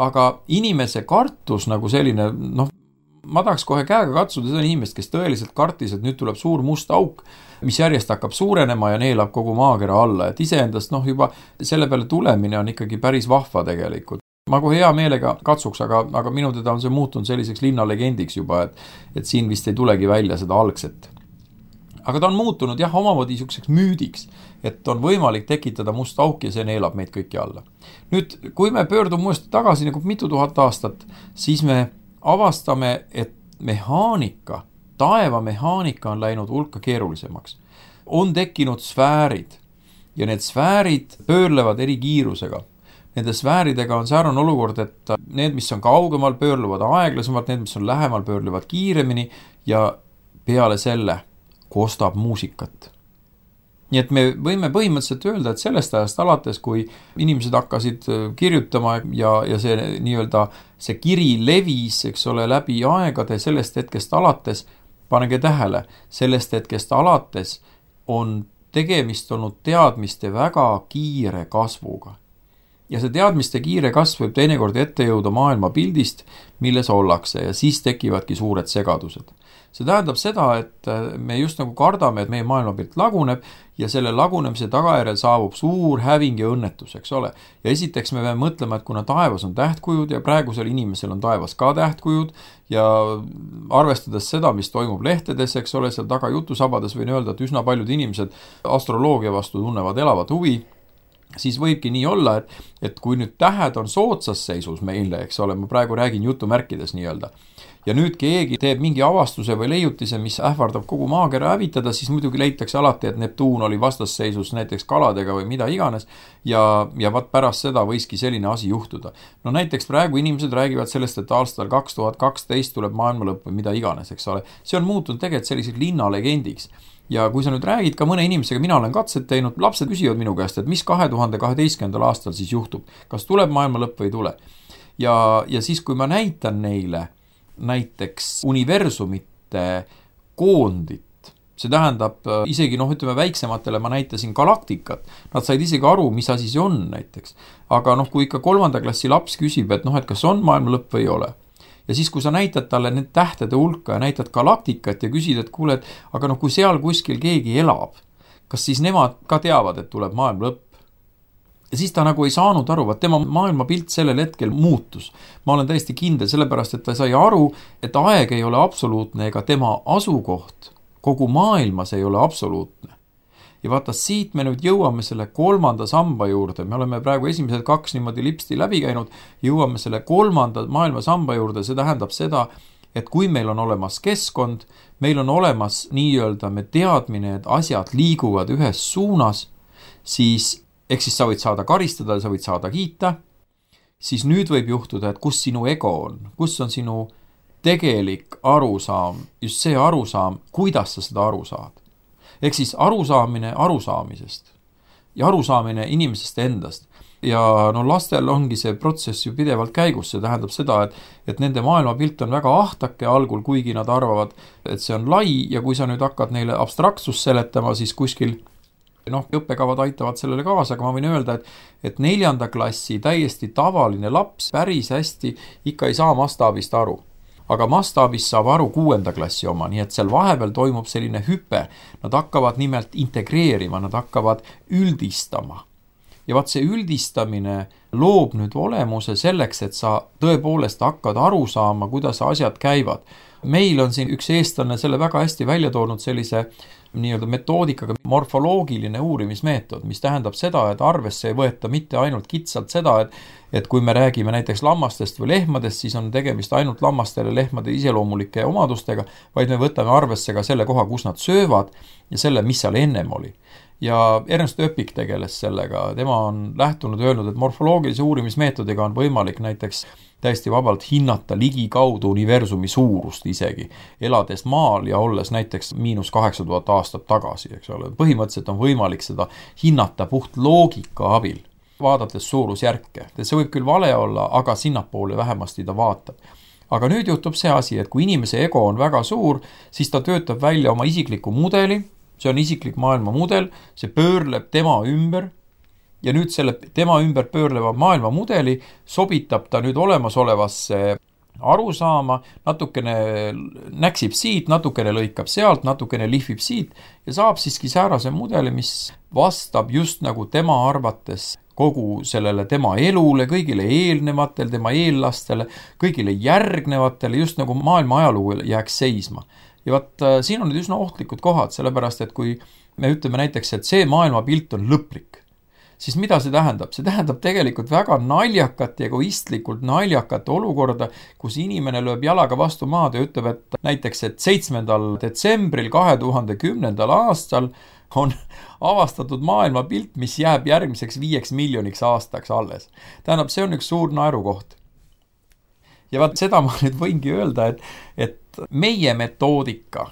Aga inimese kartus nagu selline, noh, ma tahaks kohe käega katsuda seda inimest, kes tõeliselt kartis, et nüüd tuleb suur must auk, mis järjest hakkab suurenema ja neelab kogu maakera alla. Et iseendast noh, juba selle peale tulemine on ikkagi päris vahva tegelikult. Ma kohe hea meelega katsuks, aga, aga minu teda on see muutunud selliseks linnalegendiks juba, et, et siin vist ei tulegi välja seda algset. Aga ta on muutunud jah, omamoodi niisuguseks müüdiks, et on võimalik tekitada must auk ja see neelab meid kõiki alla. Nüüd, kui me pöördume uuesti tagasi nagu mitu tuhat aastat, siis me avastame, et mehaanika, taevamehaanika on läinud hulka keerulisemaks. On tekkinud sfäärid ja need sfäärid pöörlevad eri kiirusega. Nende sfääridega on säärane olukord, et need, mis on kaugemal, pöörlevad aeglasemalt, need, mis on lähemal, pöörlevad kiiremini ja peale selle kostab muusikat. Nii et me võime põhimõtteliselt öelda, et sellest ajast alates, kui inimesed hakkasid kirjutama ja, ja see nii-öelda see kiri levis, eks ole, läbi aegade sellest hetkest alates, panege tähele, sellest hetkest alates on tegemist olnud teadmiste väga kiire kasvuga. Ja see teadmiste kiire kasv võib teinekord ette jõuda maailma pildist, milles ollakse ja siis tekivadki suured segadused. See tähendab seda, et me just nagu kardame, et meie maailmapilt laguneb ja selle lagunemise tagajärjel saabub suur häving ja õnnetus, eks ole. Ja esiteks me peame mõtlema, et kuna taevas on tähtkujud ja praegusel inimesel on taevas ka tähtkujud ja arvestades seda, mis toimub lehtedes, eks ole, seal taga jutusabades võin öelda, et üsna paljud inimesed astroloogia vastu tunnevad elavat huvi, siis võibki nii olla, et, et kui nüüd tähed on soodsas seisus meile, eks ole, ma praegu räägin jutumärkides nii-öelda, ja nüüd keegi teeb mingi avastuse või leiutise, mis ähvardab kogu maakera hävitada, siis muidugi leitakse alati, et Neptuun oli vastasseisus näiteks kaladega või mida iganes ja, ja vaat pärast seda võiski selline asi juhtuda. No näiteks praegu inimesed räägivad sellest, et aastal kaks tuhat kaksteist tuleb maailma lõpp või mida iganes, eks ole. See on muutunud tegelikult selliseks linnalegendiks. Ja kui sa nüüd räägid ka mõne inimesega, mina olen katset teinud, lapsed küsivad minu käest, et mis kahe tuhande kaheteistkümnendal aastal siis juhtub, kas tuleb maailma lõpp või ei tule. Ja, ja siis, kui ma näitan neile näiteks universumite koondit, see tähendab isegi, noh, ütleme väiksematele ma näitasin galaktikat, nad said isegi aru, mis asi see on näiteks. Aga noh, kui ikka kolmanda klassi laps küsib, et noh, et kas on maailma lõpp või ei ole. Ja siis, kui sa näitad talle need tähtede hulka ja näitad galaktikat ja küsid, et kuule, et aga noh, kui seal kuskil keegi elab, kas siis nemad ka teavad, et tuleb maailma lõpp? Ja siis ta nagu ei saanud aru, vaat tema maailmapilt sellel hetkel muutus. Ma olen täiesti kindel sellepärast, et ta sai aru, et aeg ei ole absoluutne ega tema asukoht kogu maailmas ei ole absoluutne. Ja vaata, siit me nüüd jõuame selle kolmanda samba juurde, me oleme praegu esimesed kaks niimoodi lipsti läbi käinud, jõuame selle kolmanda maailma samba juurde, see tähendab seda, et kui meil on olemas keskkond, meil on olemas nii-öelda me teadmine, et asjad liiguvad ühes suunas, siis, ehk siis sa võid saada karistada, sa võid saada kiita, siis nüüd võib juhtuda, et kus sinu ego on, kus on sinu tegelik arusaam, just see arusaam, kuidas sa seda aru saad. Ehk siis arusaamine arusaamisest ja arusaamine inimesest endast. Ja no lastel ongi see protsess ju pidevalt käigus, see tähendab seda, et, et nende maailmapilt on väga ahtake algul, kuigi nad arvavad, et see on lai ja kui sa nüüd hakkad neile abstraktsus seletama, siis kuskil noh, õppekavad aitavad sellele kaasa, aga ma võin öelda, et, et neljanda klassi täiesti tavaline laps päris hästi ikka ei saa mastaabist aru. Aga mastaabist saab aru kuuenda klassi oma, nii et seal vahepeal toimub selline hüpe. Nad hakkavad nimelt integreerima, nad hakkavad üldistama. Ja vaat see üldistamine loob nüüd olemuse selleks, et sa tõepoolest hakkad aru saama, kuidas asjad käivad. Meil on siin üks eestlane selle väga hästi välja toonud sellise nii-öelda metoodikaga morfoloogiline uurimismeetod, mis tähendab seda, et arvesse ei võeta mitte ainult kitsalt seda, et, et kui me räägime näiteks lammastest või lehmadest, siis on tegemist ainult lammastele lehmade iseloomulike omadustega, vaid me võtame arvesse ka selle koha, kus nad söövad ja selle, mis seal ennem oli. Ja Ernst Öpik tegeles sellega, tema on lähtunud öelnud, et morfoloogilise uurimismeetodiga on võimalik näiteks täiesti vabalt hinnata ligi kaudu universumi suurust isegi, elades maal ja olles näiteks miinus kaheksa tuhat aastat tagasi, eks ole. Põhimõtteliselt on võimalik seda hinnata puht loogika abil, vaadates suurusjärke. See võib küll vale olla, aga sinnapoole vähemasti ta vaatab. Aga nüüd juhtub see asi, et kui inimese ego on väga suur, siis ta töötab välja oma isikliku mudeli, see on isiklik maailma mudel, see pöörleb tema ümber, ja nüüd selle tema ümber pöörleva maailma mudeli sobitab ta nüüd olemasolevasse arusaama, natukene näksib siit, natukene lõikab sealt, natukene lihvib siit ja saab siiski säärase mudeli, mis vastab just nagu tema arvates kogu sellele tema elule, kõigile eelnevatele, tema eellastele, kõigile järgnevatele, just nagu maailma ajalugu jääks seisma. Ja vaat siin on nüüd üsna ohtlikud kohad, sellepärast, et kui me ütleme näiteks, et see maailmapilt on lõplik, siis mida see tähendab? See tähendab tegelikult väga naljakat ja egoistlikult naljakat olukorda, kus inimene lööb jalaga vastu maad ja ütleb, et näiteks, et seitsmendal detsembril kahe tuhande kümnendal aastal on avastatud maailmapilt, mis jääb järgmiseks viieks miljoniks aastaks alles. Tähendab, see on üks suur naerukoht. Ja vaat seda ma nüüd võingi öelda, et, et meie metoodika,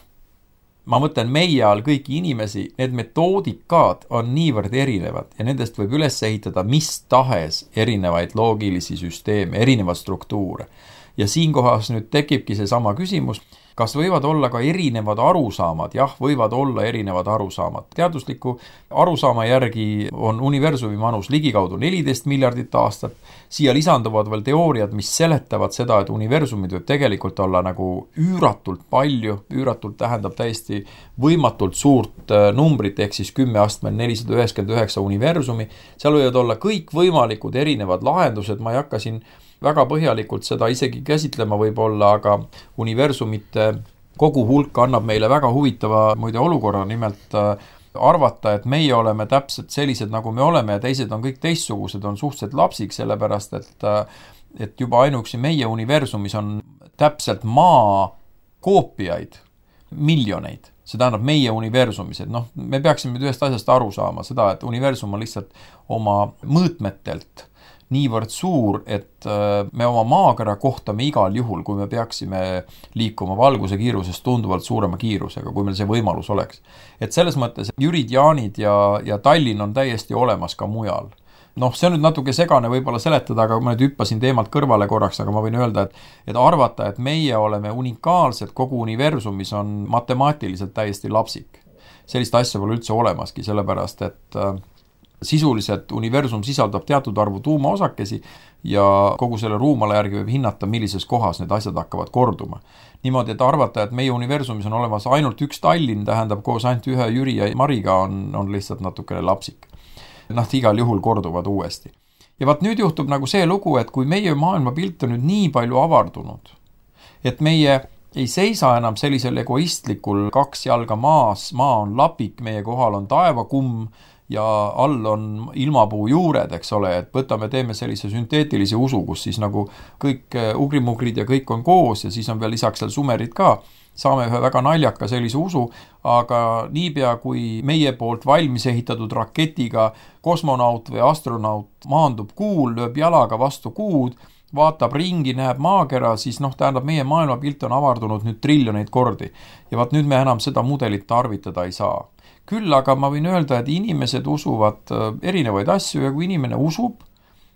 ma mõtlen meie all kõiki inimesi, need metoodikad on niivõrd erinevad ja nendest võib üles ehitada mis tahes erinevaid loogilisi süsteeme, erinevaid struktuure. Ja siinkohas nüüd tekibki see sama küsimus, kas võivad olla ka erinevad arusaamad? Jah, võivad olla erinevad arusaamad. Teadusliku arusaama järgi on universumi manus ligikaudu neliteist miljardit aastat. Siia lisanduvad veel teooriad, mis seletavad seda, et universumid võib tegelikult olla nagu üüratult palju. Üüratult tähendab täiesti võimatult suurt numbrit, ehk siis kümme astmel nelisada üheksakümmend üheksa universumi. Seal võivad olla kõik võimalikud erinevad lahendused, ma ei hakka siin väga põhjalikult seda isegi käsitlema võib-olla, aga universumite kogu hulk annab meile väga huvitava muide olukorra, nimelt arvata, et meie oleme täpselt sellised, nagu me oleme ja teised on kõik teistsugused, on suhteliselt lapsik, sellepärast, et, et juba ainuüksi meie universumis on täpselt maa koopiaid miljoneid. See tähendab meie universumis, et noh, me peaksime ühest asjast aru saama seda, et universum on lihtsalt oma mõõtmetelt niivõrd suur, et me oma maakera kohtame igal juhul, kui me peaksime liikuma valguse kiirusest tunduvalt suurema kiirusega, kui meil see võimalus oleks. Et selles mõttes Jürid, Jaanid ja, ja Tallinn on täiesti olemas ka mujal. Noh, see on nüüd natuke segane võib-olla seletada, aga ma nüüd hüppasin teemalt kõrvale korraks, aga ma võin öelda, et, et arvata, et meie oleme unikaalsed kogu universumis on matemaatiliselt täiesti lapsik. Sellist asja pole üldse olemaski, sellepärast, et sisuliselt universum sisaldab teatud arvu tuumaosakesi ja kogu selle ruumala järgi võib hinnata, millises kohas need asjad hakkavad korduma. Niimoodi, et arvata, et meie universumis on olemas ainult üks Tallinn, tähendab koos ainult ühe Jüri ja Mariga on, on lihtsalt natukene lapsik. Noh, igal juhul korduvad uuesti. Ja vaat nüüd juhtub nagu see lugu, et kui meie maailmapilt on nüüd nii palju avardunud, et meie ei seisa enam sellisel egoistlikul kaks jalga maas, maa on lapik, meie kohal on taevakumm ja all on ilmapuu juured, eks ole, et võtame, teeme sellise sünteetilise usu, kus siis nagu kõik ugrimugrid ja kõik on koos ja siis on veel lisaks seal sumerid ka, saame ühe väga naljaka sellise usu, aga niipea kui meie poolt valmis ehitatud raketiga kosmonaut või astronaut maandub kuul, lööb jalaga vastu kuud, vaatab ringi, näeb maakera, siis noh, tähendab, meie maailmapilt on avardunud nüüd triljoneid kordi. Ja vaat nüüd me enam seda mudelit tarvitada ei saa. Küll aga ma võin öelda, et inimesed usuvad erinevaid asju ja kui inimene usub,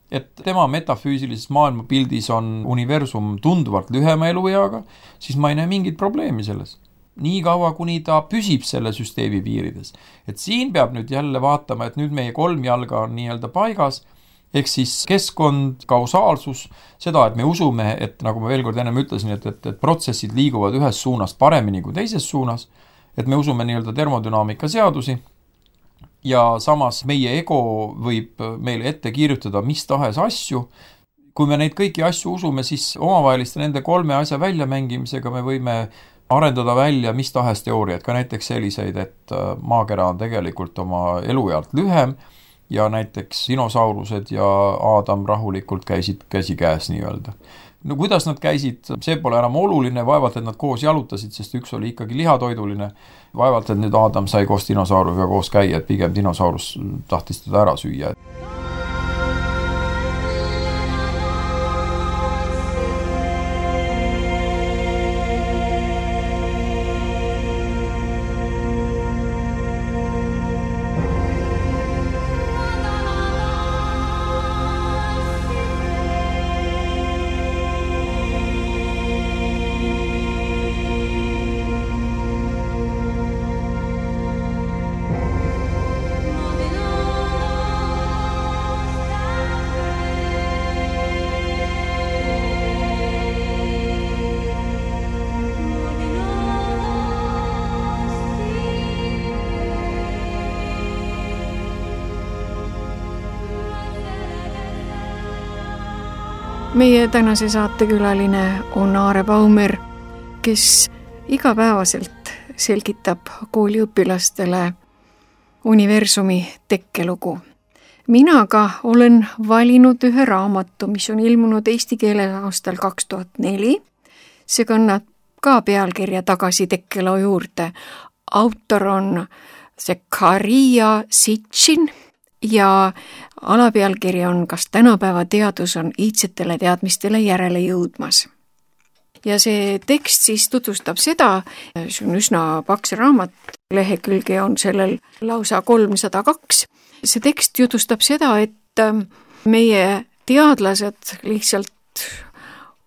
et tema metafüüsilises maailmapildis on universum tunduvalt lühema elueaga, siis ma ei näe mingit probleemi selles. Nii kaua, kuni ta püsib selle süsteemi piirides. Et siin peab nüüd jälle vaatama, et nüüd meie kolm jalga on nii-öelda paigas, ehk siis keskkond, kausaalsus, seda, et me usume, et nagu ma veel kord ennem ütlesin, et, et, et protsessid liiguvad ühes suunas paremini kui teises suunas, et me usume nii-öelda termodünaamika seadusi ja samas meie ego võib meile ette kirjutada mis tahes asju. Kui me neid kõiki asju usume, siis omavaheliste nende kolme asja väljamängimisega me võime arendada välja mis tahes teooriaid, ka näiteks selliseid, et maakera on tegelikult oma eluealt lühem ja näiteks dinosaurused ja Aadam rahulikult käisid käsikäes nii-öelda. No kuidas nad käisid, see pole enam oluline, vaevalt, et nad koos jalutasid, sest üks oli ikkagi lihatoiduline. Vaevalt, et nüüd Aadam sai koos dinosaurusega koos käia, et pigem dinosaurus tahtis teda ära süüa. Meie tänase saatekülaline on Aare Baumer, kes igapäevaselt selgitab kooliõpilastele universumi tekkelugu. Mina ka olen valinud ühe raamatu, mis on ilmunud eesti keeles aastal kaks tuhat neli. See kannab ka pealkirja Tagasi tekkeloo juurde. Autor on Zekaria Sitchin ja alapealkiri on Kas tänapäeva teadus on iidsetele teadmistele järele jõudmas. Ja see tekst siis tutvustab seda, see on üsna paks raamat, lehekülge on sellel lausa kolmsada kaks. See tekst jutustab seda, et meie teadlased lihtsalt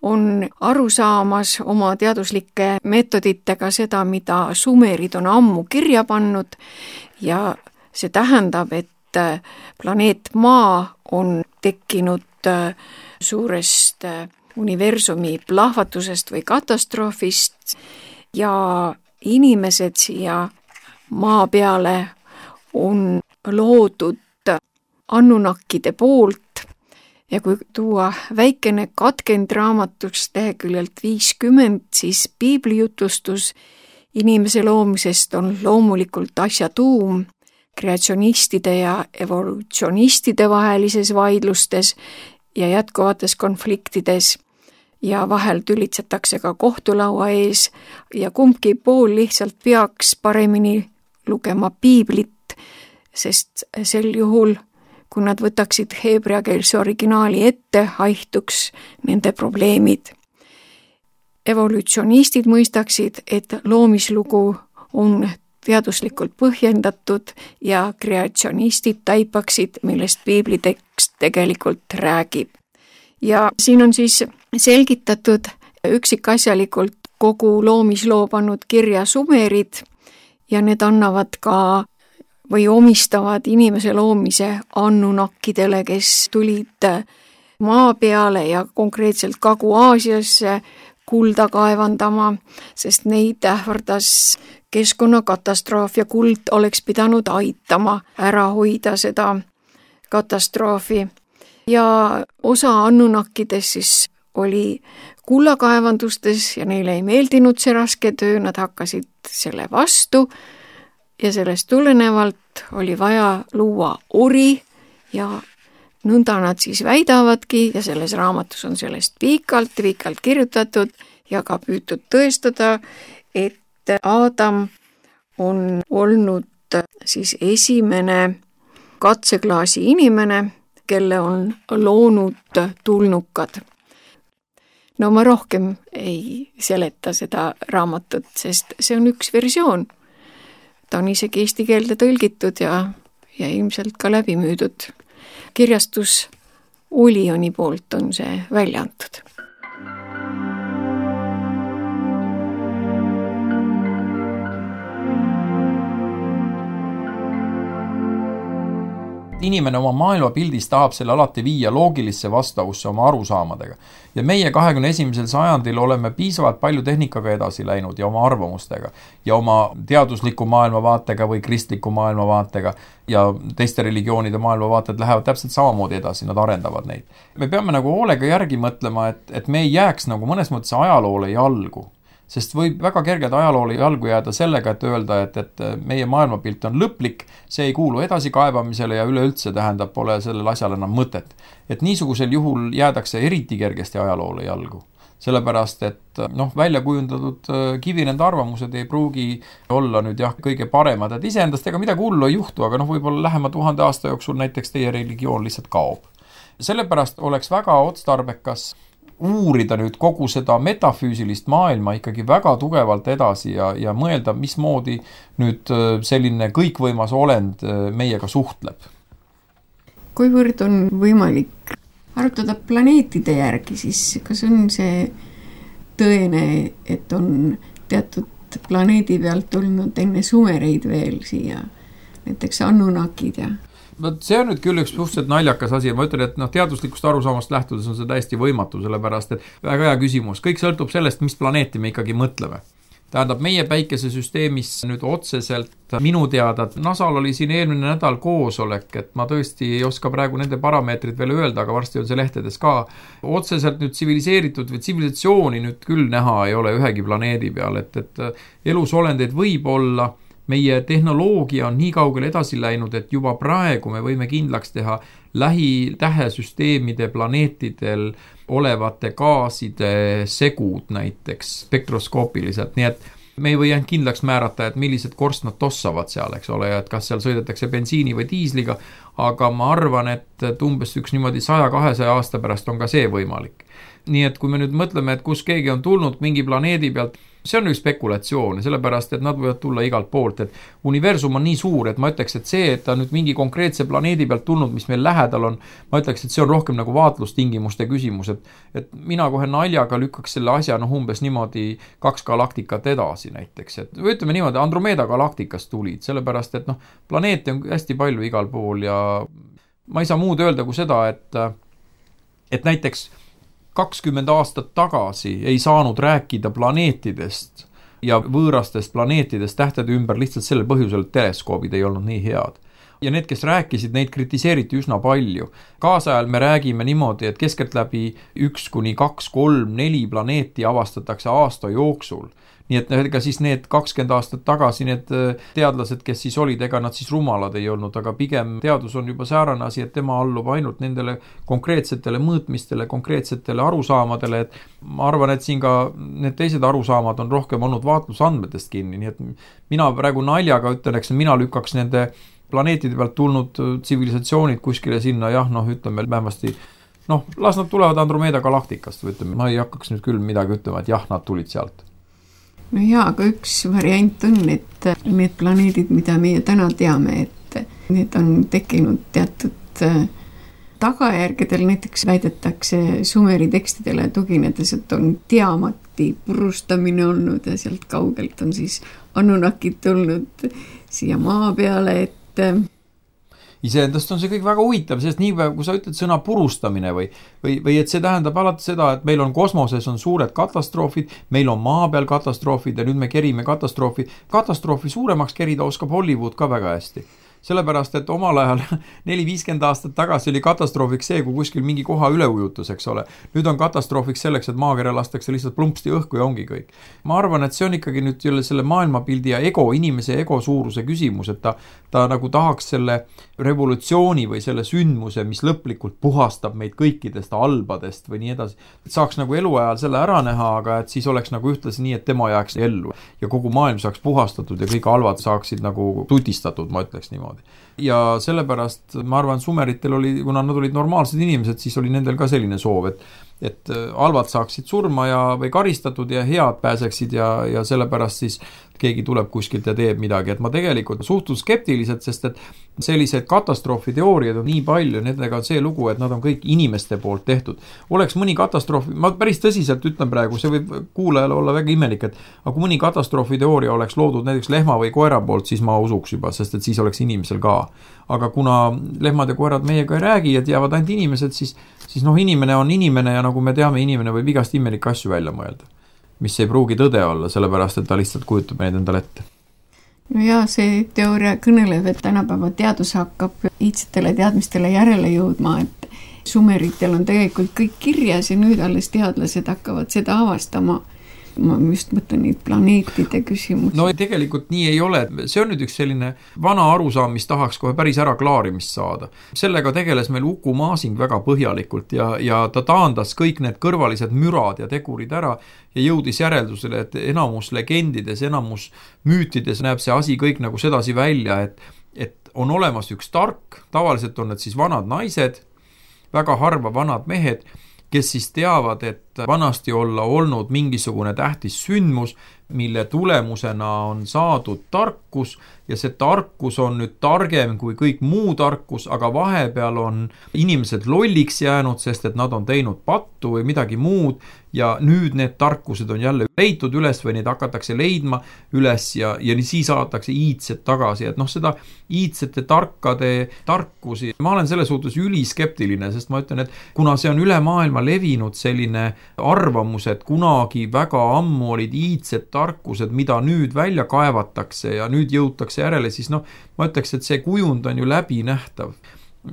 on aru saamas oma teaduslike meetoditega seda, mida sumerid on ammu kirja pannud ja see tähendab, et planeet Maa on tekkinud suurest universumi plahvatusest või katastroofist ja inimesed siia Maa peale on loodud annunakkide poolt ja kui tuua väikene katkend raamatust leheküljelt viiskümmend, siis piiblijutustus inimese loomisest on loomulikult asja tuum, kreatsionistide ja evolutsionistide vahelises vaidlustes ja jätkuvates konfliktides ja vahel tülitsetakse ka kohtulaua ees ja kumbki pool lihtsalt peaks paremini lugema piiblit, sest sel juhul, kui nad võtaksid heebreakeelse originaali ette, haihtuks nende probleemid. Evolutsionistid mõistaksid, et loomislugu on teaduslikult põhjendatud ja kreatsionistid taipaksid, millest piiblitekst tegelikult räägib. Ja siin on siis selgitatud üksikasjalikult kogu loomisloo pannud kirja sumerid ja need annavad ka või omistavad inimese loomise annunakkidele, kes tulid maa peale ja konkreetselt Kagu-Aasiasse kulda kaevandama, sest neid ähvardas keskkonnakatastroof ja kuld oleks pidanud aitama ära hoida seda katastroofi. Ja osa annunakkidest siis oli kullakaevandustes ja neile ei meeldinud see raske töö, nad hakkasid selle vastu ja sellest tulenevalt oli vaja luua ori ja nõnda nad siis väidavadki ja selles raamatus on sellest pikalt, pikalt kirjutatud ja ka püütud tõestada, et Aadam on olnud siis esimene katseklaasi inimene, kelle on loonud tulnukad. No ma rohkem ei seleta seda raamatut, sest see on üks versioon. Ta on isegi eesti keelde tõlgitud ja, ja ilmselt ka läbi müüdud. Kirjastus Ulioni poolt on see välja antud. Inimene oma maailmapildis tahab selle alati viia loogilisse vastavusse oma arusaamadega. Ja meie kahekümne esimesel sajandil oleme piisavalt palju tehnikaga edasi läinud ja oma arvamustega ja oma teadusliku maailmavaatega või kristliku maailmavaatega ja teiste religioonide maailmavaated lähevad täpselt samamoodi edasi, nad arendavad neid. Me peame nagu hoolega järgi mõtlema, et, et me ei jääks nagu mõnes mõttes ajaloole jalgu. Sest võib väga kergelt ajaloole jalgu jääda sellega, et öelda, et, et meie maailmapilt on lõplik, see ei kuulu edasi kaebamisele ja üleüldse tähendab, pole sellel asjal enam mõtet. Et niisugusel juhul jäädakse eriti kergesti ajaloole jalgu. Sellepärast, et noh, välja kujundatud kivinende arvamused ei pruugi olla nüüd jah, kõige paremad, et iseendast ega midagi hullu ei juhtu, aga noh, võib-olla lähema tuhande aasta jooksul näiteks teie religioon lihtsalt kaob. Sellepärast oleks väga otstarbekas uurida nüüd kogu seda metafüüsilist maailma ikkagi väga tugevalt edasi ja, ja mõelda, mismoodi nüüd selline kõikvõimas olend meiega suhtleb. Kuivõrd on võimalik arutada planeetide järgi, siis kas on see tõene, et on teatud planeedi pealt tulnud enne sumereid veel siia, näiteks Anunnakid ja... See on nüüd küll üks suhteliselt naljakas asi ja ma ütlen, et noh, teaduslikust arusaamast lähtudes on see täiesti võimatu, sellepärast et väga hea küsimus. Kõik sõltub sellest, mis planeeti me ikkagi mõtleme. Tähendab, meie päikesesüsteemis nüüd otseselt minu teada, et NASAl oli siin eelmine nädal koosolek, et ma tõesti ei oska praegu nende parameetrid veel öelda, aga varsti on see lehtedes ka. Otseselt nüüd tsiviliseeritud või tsivilisatsiooni nüüd küll näha ei ole ühegi planeedi peal, et, et elusolendeid võib olla. Meie tehnoloogia on nii kaugele edasi läinud, et juba praegu me võime kindlaks teha lähitähesüsteemide planeetidel olevate gaaside segud näiteks spektroskoopiliselt, nii et me ei või ainult kindlaks määrata, et millised korstnad tossavad seal, eks ole, ja et kas seal sõidetakse bensiini või diisliga, aga ma arvan, et umbes üks niimoodi saja kahesaja aasta pärast on ka see võimalik. Nii et kui me nüüd mõtleme, et kus keegi on tulnud mingi planeedi pealt, see on üks spekulatsioon, sellepärast, et nad võivad tulla igalt poolt, et universum on nii suur, et ma ütleks, et see, et ta nüüd mingi konkreetse planeedi pealt tulnud, mis meil lähedal on, ma ütleks, et see on rohkem nagu vaatlustingimuste küsimus, et, et mina kohe naljaga lükkaks selle asja noh umbes niimoodi kaks galaktikat edasi näiteks, et või ütleme niimoodi, Andromeda galaktikast tulid, sellepärast, et noh, planeete on hästi palju igal pool ja ma ei saa muud öelda kui seda, et, et näiteks kakskümmend aastat tagasi ei saanud rääkida planeetidest ja võõrastest planeetidest tähtede ümber lihtsalt sellel põhjusel, et teleskoobid ei olnud nii head. Ja need, kes rääkisid, neid kritiseeriti üsna palju. Kaasajal me räägime niimoodi, et keskeltläbi üks kuni kaks, kolm, neli planeeti avastatakse aasta jooksul. Nii et ega siis need kakskümmend aastat tagasi need teadlased, kes siis olid, ega nad siis rumalad ei olnud, aga pigem teadus on juba säärane asi, et tema allub ainult nendele konkreetsetele mõõtmistele, konkreetsetele arusaamadele, et ma arvan, et siin ka need teised arusaamad on rohkem olnud vaatlusandmetest kinni, nii et mina praegu naljaga ütlen, eks mina lükkaks nende planeetide pealt tulnud tsivilisatsioonid kuskile sinna, jah, noh, ütleme vähemasti, noh, las nad tulevad Andromeda galaktikast, või ütleme, ma ei hakkaks nüüd küll midagi ütlema, et jah, nad tulid sealt. No jaa, aga üks variant on, et need planeedid, mida meie täna teame, et need on tekkinud teatud tagajärgedel, näiteks väidetakse Sumeri tekstidele tuginedes, et on diamati purustamine olnud ja sealt kaugelt on siis Anunnakid tulnud siia maa peale, et iseendast on see kõik väga huvitav, sest nii päev, kui sa ütled sõna purustamine või, või, või et see tähendab alati seda, et meil on kosmoses on suured katastroofid, meil on maa peal katastroofid ja nüüd me kerime katastroofi. Katastroofi suuremaks kerida oskab Hollywood ka väga hästi. sellepärast, et omal ajal neli viiskümmend aastat tagasi oli katastroofiks see, kui kuskil mingi koha üleujutus, eks ole. Nüüd on katastroofiks selleks, et maakera lastakse lihtsalt plumpsti õhku ja ongi kõik. Ma arvan, et see on ikkagi nüüd jälle selle maailmapildi ja ego, inimese ego suuruse küsimus, et ta, ta nagu tahaks selle revolutsiooni või selle sündmuse, mis lõplikult puhastab meid kõikidest albadest või nii edasi. Et saaks nagu eluajal selle ära näha, aga et siis oleks nagu ühtlasi nii, et tema jääks ellu ja kogu maailm saaks puhastatud ja kõik albad saaksid nagu tutistatud, ma ütleks niimoodi. Ja sellepärast ma arvan, sumeritel oli, kuna nad olid normaalsed inimesed, siis oli nendel ka selline soov, et et albad saaksid surma ja, või karistatud ja head pääseksid ja, ja sellepärast siis keegi tuleb kuskilt ja teeb midagi, et ma tegelikult suhtun skeptiliselt, sest et sellised katastroofiteooriad on nii palju, nendega on see lugu, et nad on kõik inimeste poolt tehtud. Oleks mõni katastroofi, ma päris tõsiselt ütlen praegu, see võib kuulajale olla väga imelik, et aga kui mõni katastroofiteooria oleks loodud näiteks lehma või koera poolt, siis ma usuks juba, sest et siis oleks inimesel ka. Aga kuna lehmad ja koerad meiega ei räägi ja teavad ainult inimesed, siis, siis noh, inimene on inimene ja nagu me teame, inimene võib igast imelikke asju välja mõelda, mis ei pruugi tõde olla, sellepärast, et ta lihtsalt kujutab neid endale ette. No jaa, see teooria kõneleb, et tänapäeva teadus hakkab iidsetele teadmistele järele jõudma, et sumeritel on tegelikult kõik kirjas ja nüüd alles teadlased hakkavad seda avastama. Ma just mõtlen neid planeetide küsimusi. No tegelikult nii ei ole. See on nüüd üks selline vana arusaam, mis tahaks kohe päris ära klaarimist saada. Sellega tegeles meil Uku Masing väga põhjalikult ja, ja ta taandas kõik need kõrvalised mürad ja tegurid ära ja jõudis järeldusele, et enamus legendides, enamus müütides näeb see asi kõik nagu sedasi välja, et, et on olemas üks tark, tavaliselt on need siis vanad naised, väga harva vanad mehed, kes siis teavad, et vanasti olla olnud mingisugune tähtis sündmus, mille tulemusena on saadud tarkus ja see tarkus on nüüd targem kui kõik muu tarkus, aga vahepeal on inimesed lolliks jäänud, sest et nad on teinud pattu või midagi muud ja nüüd need tarkused on jälle leitud üles või neid hakatakse leidma üles ja, ja siis saadatakse iidsed tagasi, et noh, seda iidsete tarkade tarkusi, ma olen selle suhtes üliskeptiline, sest ma ütlen, et kuna see on üle maailma levinud selline arvamus, et kunagi väga ammu olid iidsed tarkused, mida nüüd välja kaevatakse ja nüüd jõutakse järele, siis noh, ma ütleks, et see kujund on ju läbinähtav.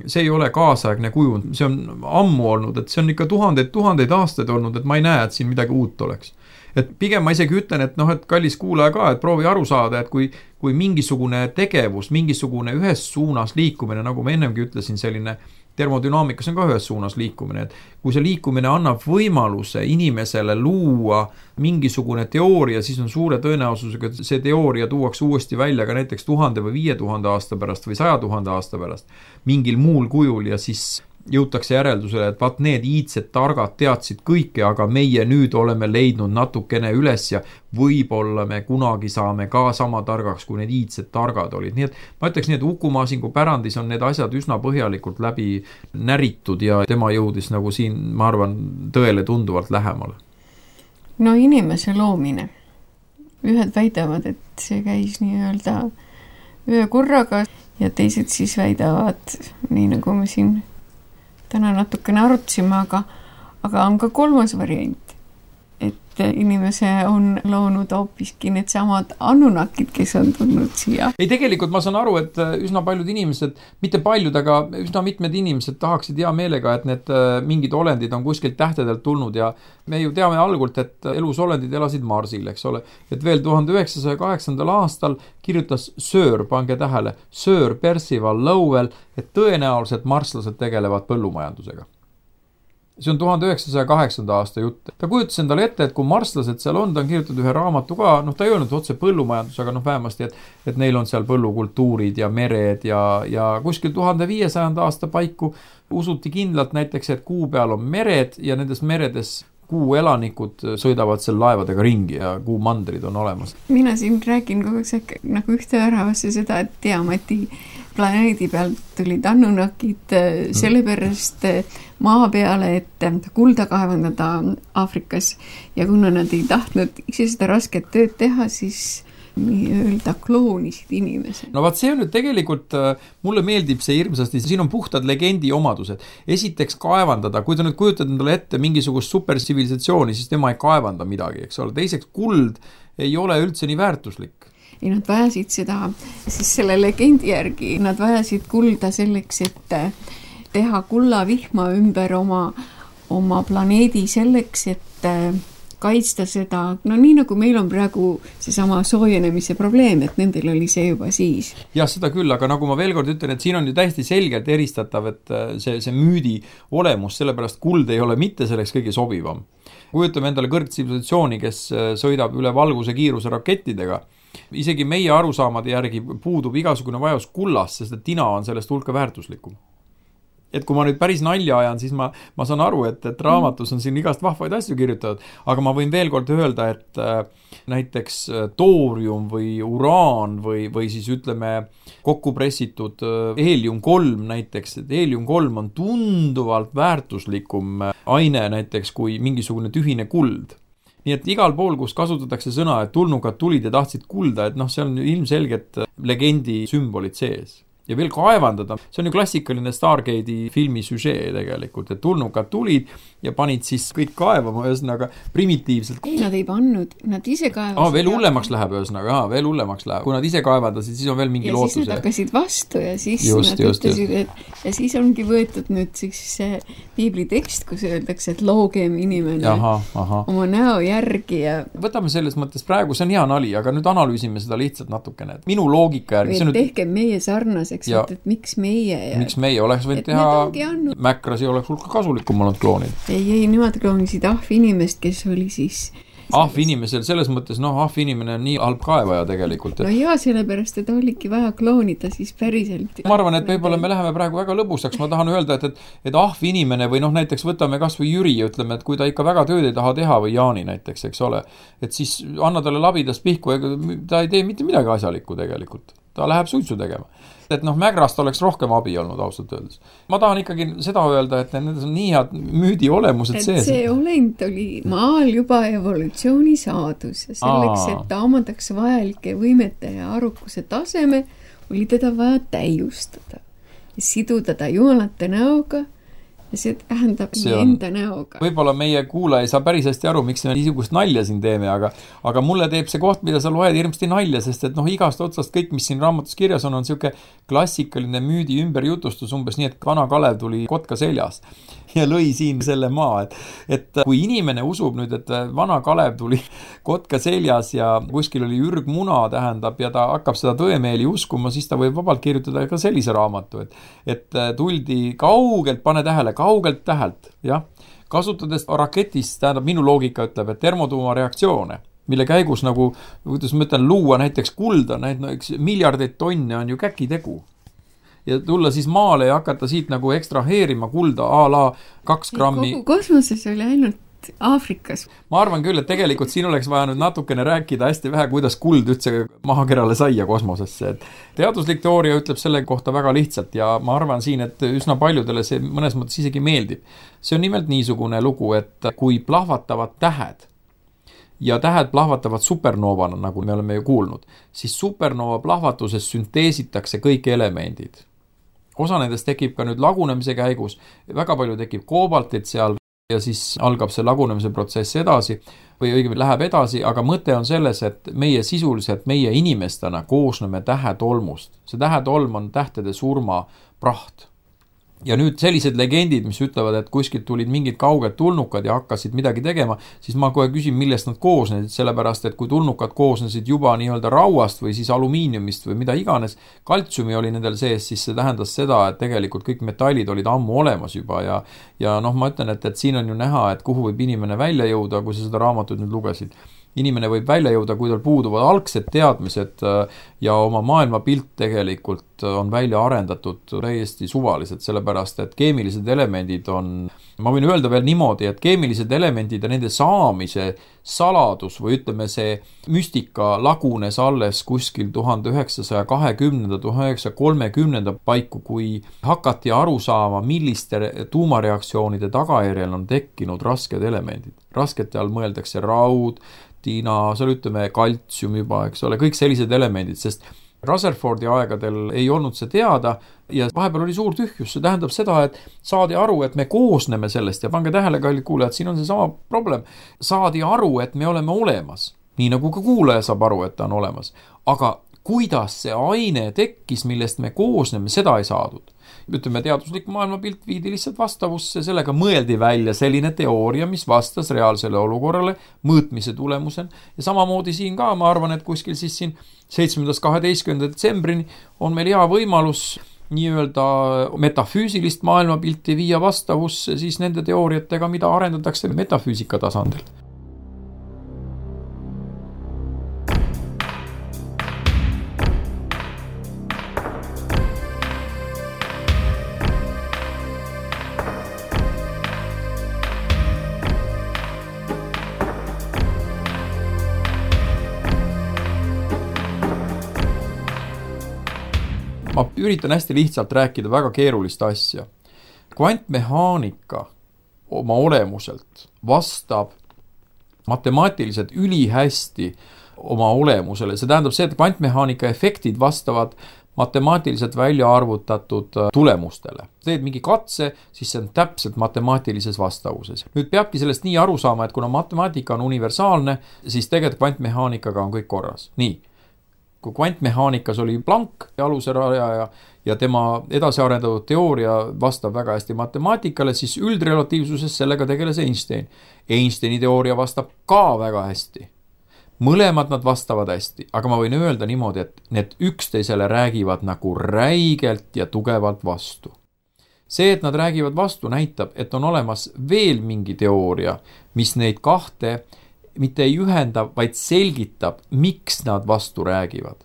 See ei ole kaasaegne kujund, see on ammu olnud, et see on ikka tuhandeid, tuhandeid aastaid olnud, et ma ei näe, et siin midagi uut oleks. Et pigem ma isegi ütlen, et noh, et kallis kuulaja ka, et proovi aru saada, et kui, kui mingisugune tegevus, mingisugune ühes suunas liikumine, nagu ma ennemgi ütlesin, selline termodünaamikas on ka ühes suunas liikumine, et kui see liikumine annab võimaluse inimesele luua mingisugune teooria, siis on suure tõenäosusega, et see teooria tuuakse uuesti välja ka näiteks tuhande või viie tuhande aasta pärast või saja tuhande aasta pärast mingil muul kujul ja siis jõutakse järeldusele, et vaat need iidsed targad teadsid kõike, aga meie nüüd oleme leidnud natukene üles ja võib-olla me kunagi saame ka sama targaks, kui need iidsed targad olid. Nii et ma ütleks nii, et Uku Masingu pärandis on need asjad üsna põhjalikult läbi näritud ja tema jõudis nagu siin, ma arvan, tõele tunduvalt lähemale. No inimese loomine. Ühed väidavad, et see käis nii-öelda ühe korraga ja teised siis väidavad, nii nagu me siin täna natukene arutasime, aga, aga on ka kolmas variant, et inimese on loonud hoopiski need samad Anunnakid, kes on tulnud siia. Ei, tegelikult ma saan aru, et üsna paljud inimesed, mitte paljud, aga üsna mitmed inimesed tahaksid hea meelega, et need mingid olendid on kuskilt tähtedelt tulnud ja me ju teame algult, et elusolendid elasid Marsil, eks ole. Et veel tuhande üheksasaja kaheksandal aastal kirjutas Sir, pange tähele, Sir Percival Lowell, et tõenäoliselt marslased tegelevad põllumajandusega. See on tuhande üheksasaja kaheksanda aasta jutt. Ta kujutas endale ette, et kui marslased seal on, ta on kirjutatud ühe raamatu ka, noh ta ei öelnud otse põllumajandus, aga noh vähemasti, et, et neil on seal põllukultuurid ja mered ja, ja kuskil tuhande viiesajanda aasta paiku usuti kindlalt näiteks, et kuu peal on mered ja nendes meredes kuu elanikud sõidavad seal laevadega ringi ja kuu mandrid on olemas. Mina siin räägin kogu aeg nagu ühte väravasse seda, et Tiamati planeedi pealt tulid Anunnakid sellepärast maa peale, et kulda kaevandada Aafrikas ja kuna nad ei tahtnud ise seda rasket tööd teha, siis nii-öelda kloonisid inimesed. No vaat see on nüüd tegelikult, mulle meeldib see hirmsasti, siin on puhtad legendi omadused. Esiteks kaevandada, kui ta nüüd kujutad endale ette mingisugust supertsivilisatsiooni, siis tema ei kaevanda midagi, eks ole. Teiseks kuld ei ole üldse nii väärtuslik. ja nad vajasid seda, siis selle legendi järgi, nad vajasid kulda selleks, et teha kullavihma ümber oma, oma planeedi selleks, et kaitsta seda, no nii nagu meil on praegu seesama soojenemise probleem, et nendel oli see juba siis. Jah, seda küll, aga nagu ma veel kord ütlen, et siin on ju täiesti selgelt eristatav, et see, see müüdi olemus, sellepärast kuld ei ole mitte selleks kõige sobivam. Kujutame endale kõrgtsivilisatsiooni, kes sõidab üle valguse kiiruse rakettidega. Isegi meie arusaamade järgi puudub igasugune vajus kullast, sest et tina on sellest hulka väärtuslikum. Et kui ma nüüd päris nalja ajan, siis ma, ma saan aru, et, et raamatus on siin igast vahvaid asju kirjutatud, aga ma võin veel kord öelda, et äh, näiteks toorium või uraan või, või siis ütleme kokku pressitud äh, heelium kolm näiteks, et heelium kolm on tunduvalt väärtuslikum aine näiteks kui mingisugune tühine kuld. Nii et igal pool, kus kasutatakse sõna, et tulnukad tulid ja tahtsid kulda, et noh, see on ilmselgelt legendi sümbolid sees. Ja veel kaevandada, see on ju klassikaline Stargate'i filmi süžee tegelikult, et tulnukad tulid ja panid siis kõik kaevama, ühesõnaga primitiivselt. Ei, nad ei pannud, nad ise kaevasid. Ah, veel hullemaks läheb, ühesõnaga, ah, veel hullemaks läheb. Kui nad ise kaevandasid, siis on veel mingi ja lootuse. Ja siis nad hakkasid vastu ja siis just, nad just, ütlesid, et ja siis ongi võetud nüüd siis see piibli tekst, kus öeldakse, et loogem inimene aha, aha. oma näo järgi ja võtame selles mõttes praegu, see on hea nali, aga nüüd analüüsime seda lihtsalt natukene. Minu loogika järgi või tehke nüüd... meie sarnaseks, ja... et, et miks meie ja... miks meie oleks võinud teha andnud... Mäkrasi oleks hulka kasulikum olnud kloonid. Ei, ei, nemad kloonisid ahv inimest, kes oli siis ahv inimesel selles mõttes, noh, ahv inimene on nii halb kaevaja tegelikult. Et... no jaa, sellepärast, et oligi vaja kloonida siis päriselt. Ma arvan, et võib-olla me läheme praegu väga lõbusaks. Ma tahan öelda, et, et, et ahv inimene või noh, näiteks võtame kas või Jüri, ütleme, et kui ta ikka väga tööd ei taha teha või Jaani näiteks, eks ole, et siis anna talle labidas pihku, ta ei tee mitte midagi asjalikku tegelikult. Ta läheb suitsu tegema. Et noh, Mägrast oleks rohkem abi olnud ausalt öeldes. Ma tahan ikkagi seda öelda, et need on nii head müüdi olemused sees. Et see olend oli maal juba evolutsiooni saadus ja selleks, Aa. et ta omandaks vajalike võimete ja arukuse taseme, oli teda vaja täiustada ja siduda ta jumalate näoga ja see tähendab see on, enda näoga. Võib-olla meie kuulaja ei saa päris hästi aru, miks me niisugust nalja siin teeme, aga, aga mulle teeb see koht, mida sa loed hirmsti nalja, sest et noh, igast otsast kõik, mis siin raamatus kirjas on, on siuke klassikaline müüdi ümberjutustus umbes nii, et vana Kalev tuli kotka seljas ja lõi siin selle maa, et, et kui inimene usub nüüd, et vana Kalev tuli kotka seljas ja kuskil oli ürgmuna tähendab ja ta hakkab seda tõemeeli uskuma, siis ta võib vabalt kirjutada ka sellise raamatu, et, et tuldi kaugelt, pane tähele, kaugelt tähelt, jah, kasutades raketist, tähendab minu loogika ütleb, et termotuumareaktsioone, mille käigus nagu, kuidas ma ütlen, luua näiteks kulda, näiteks miljardeid tonne on ju käkitegu. Ja tulla siis maale ja hakata siit nagu ekstraheerima kulda a la kaks grammi. Kogu kosmoses oli ainult Aafrikas. Ma arvan küll, et tegelikult siin oleks vaja nüüd natukene rääkida hästi vähe, kuidas kuld üldse mahakerale sai ja kosmosesse. Et teaduslik teooria ütleb selle kohta väga lihtsalt ja ma arvan siin, et üsna paljudele see mõnes mõttes isegi meeldib. See on nimelt niisugune lugu, et kui plahvatavad tähed ja tähed plahvatavad supernoovana, nagu me oleme ju kuulnud, siis supernova plahvatuses sünteesitakse kõik elemendid. Osa nendest tekib ka nüüd lagunemise käigus, väga palju tekib koobaltit seal ja siis algab see lagunemise protsess edasi või õigemini läheb edasi, aga mõte on selles, et meie sisuliselt, meie inimestena koosneme tähetolmust. See tähetolm on tähtede surma praht. Ja nüüd sellised legendid, mis ütlevad, et kuskilt tulid mingid kauged tulnukad ja hakkasid midagi tegema, siis ma kohe küsin, millest nad koosnesid, sellepärast, et kui tulnukad koosnesid juba nii-öelda rauast või siis alumiiniumist või mida iganes, kaltsiumi oli nendel sees, siis see tähendas seda, et tegelikult kõik metallid olid ammu olemas juba ja, ja noh, ma ütlen, et, et siin on ju näha, et kuhu võib inimene välja jõuda, kui sa seda raamatut nüüd lugesid. Inimene võib välja jõuda, kui tal puuduvad algsed teadmised ja oma maailmapilt tegelikult on välja arendatud täiesti suvaliselt, sellepärast et keemilised elemendid on, ma võin öelda veel niimoodi, et keemilised elemendid ja nende saamise saladus või ütleme see müstika lagunes alles kuskil tuhande üheksasaja kahekümnenda, tuhande üheksasaja kolmekümnenda paiku, kui hakati aru saama, milliste tuumareaktsioonide tagajärjel on tekkinud rasked elemendid. Raskete all mõeldakse raud, tiina, seal ütleme kaltsium juba, eks ole, kõik sellised elemendid, sest Rutherfordi aegadel ei olnud see teada ja vahepeal oli suur tühjus, see tähendab seda, et saadi aru, et me koosneme sellest ja pange tähele, kallid kuulajad, siin on see sama problem, saadi aru, et me oleme olemas. nii nagu ka kuulaja saab aru, et ta on olemas. Aga kuidas see aine tekkis, millest me koosneme, seda ei saadud. Ütleme, teaduslik maailmapilt viidi lihtsalt vastavusse, sellega mõeldi välja selline teooria, mis vastas reaalsele olukorrale mõõtmise tulemusel. Ja samamoodi siin ka, ma arvan, et kuskil siis siin seitsmendast kaheteistkümnenda detsembrini on meil hea võimalus nii-öelda metafüüsilist maailmapilti viia vastavusse siis nende teooriatega, mida arendatakse metafüüsika tasandil. Ma üritan hästi lihtsalt rääkida väga keerulist asja. Kvantmehaanika oma olemuselt vastab matemaatiliselt ülihästi oma olemusele. See tähendab see, et kvantmehaanika efektid vastavad matemaatiliselt välja arvutatud tulemustele. Teed mingi katse, siis see on täpselt matemaatilises vastavuses. Nüüd peabki sellest nii aru saama, et kuna matemaatika on universaalne, siis tegelikult kvantmehaanikaga on kõik korras. Nii. Kui kvantmehaanikas oli Planck aluse rajaja ja tema edasi arendatud teooria vastab väga hästi matemaatikale, siis üldrelatiivsuses sellega tegeles Einstein. Einsteini teooria vastab ka väga hästi. Mõlemad nad vastavad hästi, aga ma võin öelda niimoodi, et need üksteisele räägivad nagu räigelt ja tugevalt vastu. See, et nad räägivad vastu, näitab, et on olemas veel mingi teooria, mis neid kahte mitte ei ühenda, vaid selgitab, miks nad vastu räägivad.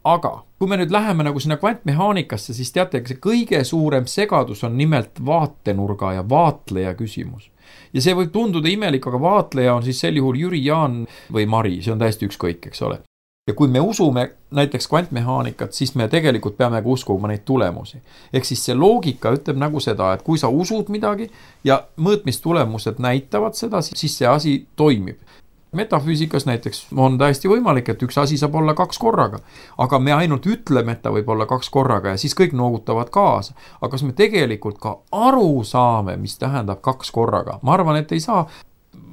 Aga kui me nüüd läheme nagu sinna kvantmehaanikasse, siis teate, see kõige suurem segadus on nimelt vaatenurga ja vaatleja küsimus. Ja see võib tunduda imelik, aga vaatleja on siis sel juhul Jüri, Jaan või Mari, see on täiesti ükskõik, eks ole. Ja kui me usume näiteks kvantmehaanikat, siis me tegelikult peame ka uskuma neid tulemusi. Ehk siis see loogika ütleb nagu seda, et kui sa usud midagi ja mõõtmistulemused näitavad seda, siis see asi toimib. Metafüüsikas näiteks on täiesti võimalik, et üks asi saab olla kaks korraga, aga me ainult ütleme, et ta võib olla kaks korraga ja siis kõik noogutavad kaasa. Aga kas me tegelikult ka aru saame, mis tähendab kaks korraga? Ma arvan, et ei saa.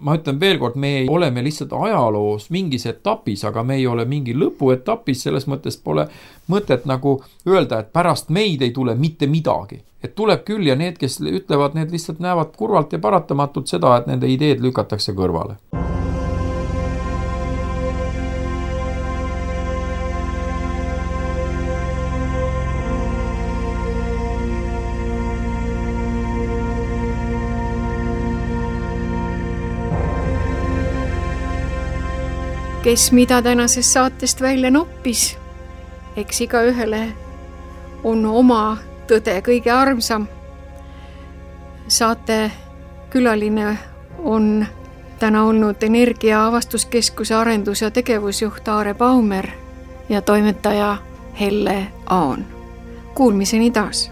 Ma ütlen veel kord, me ei ole me lihtsalt ajaloos mingis etapis, aga me ei ole mingi lõpuetapis, selles mõttes pole mõtet nagu öelda, et pärast meid ei tule mitte midagi. Et tuleb küll ja need, kes ütlevad, need lihtsalt näevad kurvalt ja paratamatult seda, et nende ideed lükatakse kõrvale. Kes mida tänasest saatest välja noppis, eks iga ühele on oma tõde kõige armsam. Saate külaline on täna olnud Energia Avastuskeskuse arendus- ja tegevusjuht Aare Baumer ja toimetaja Helle Aan. Kuulmiseni taas!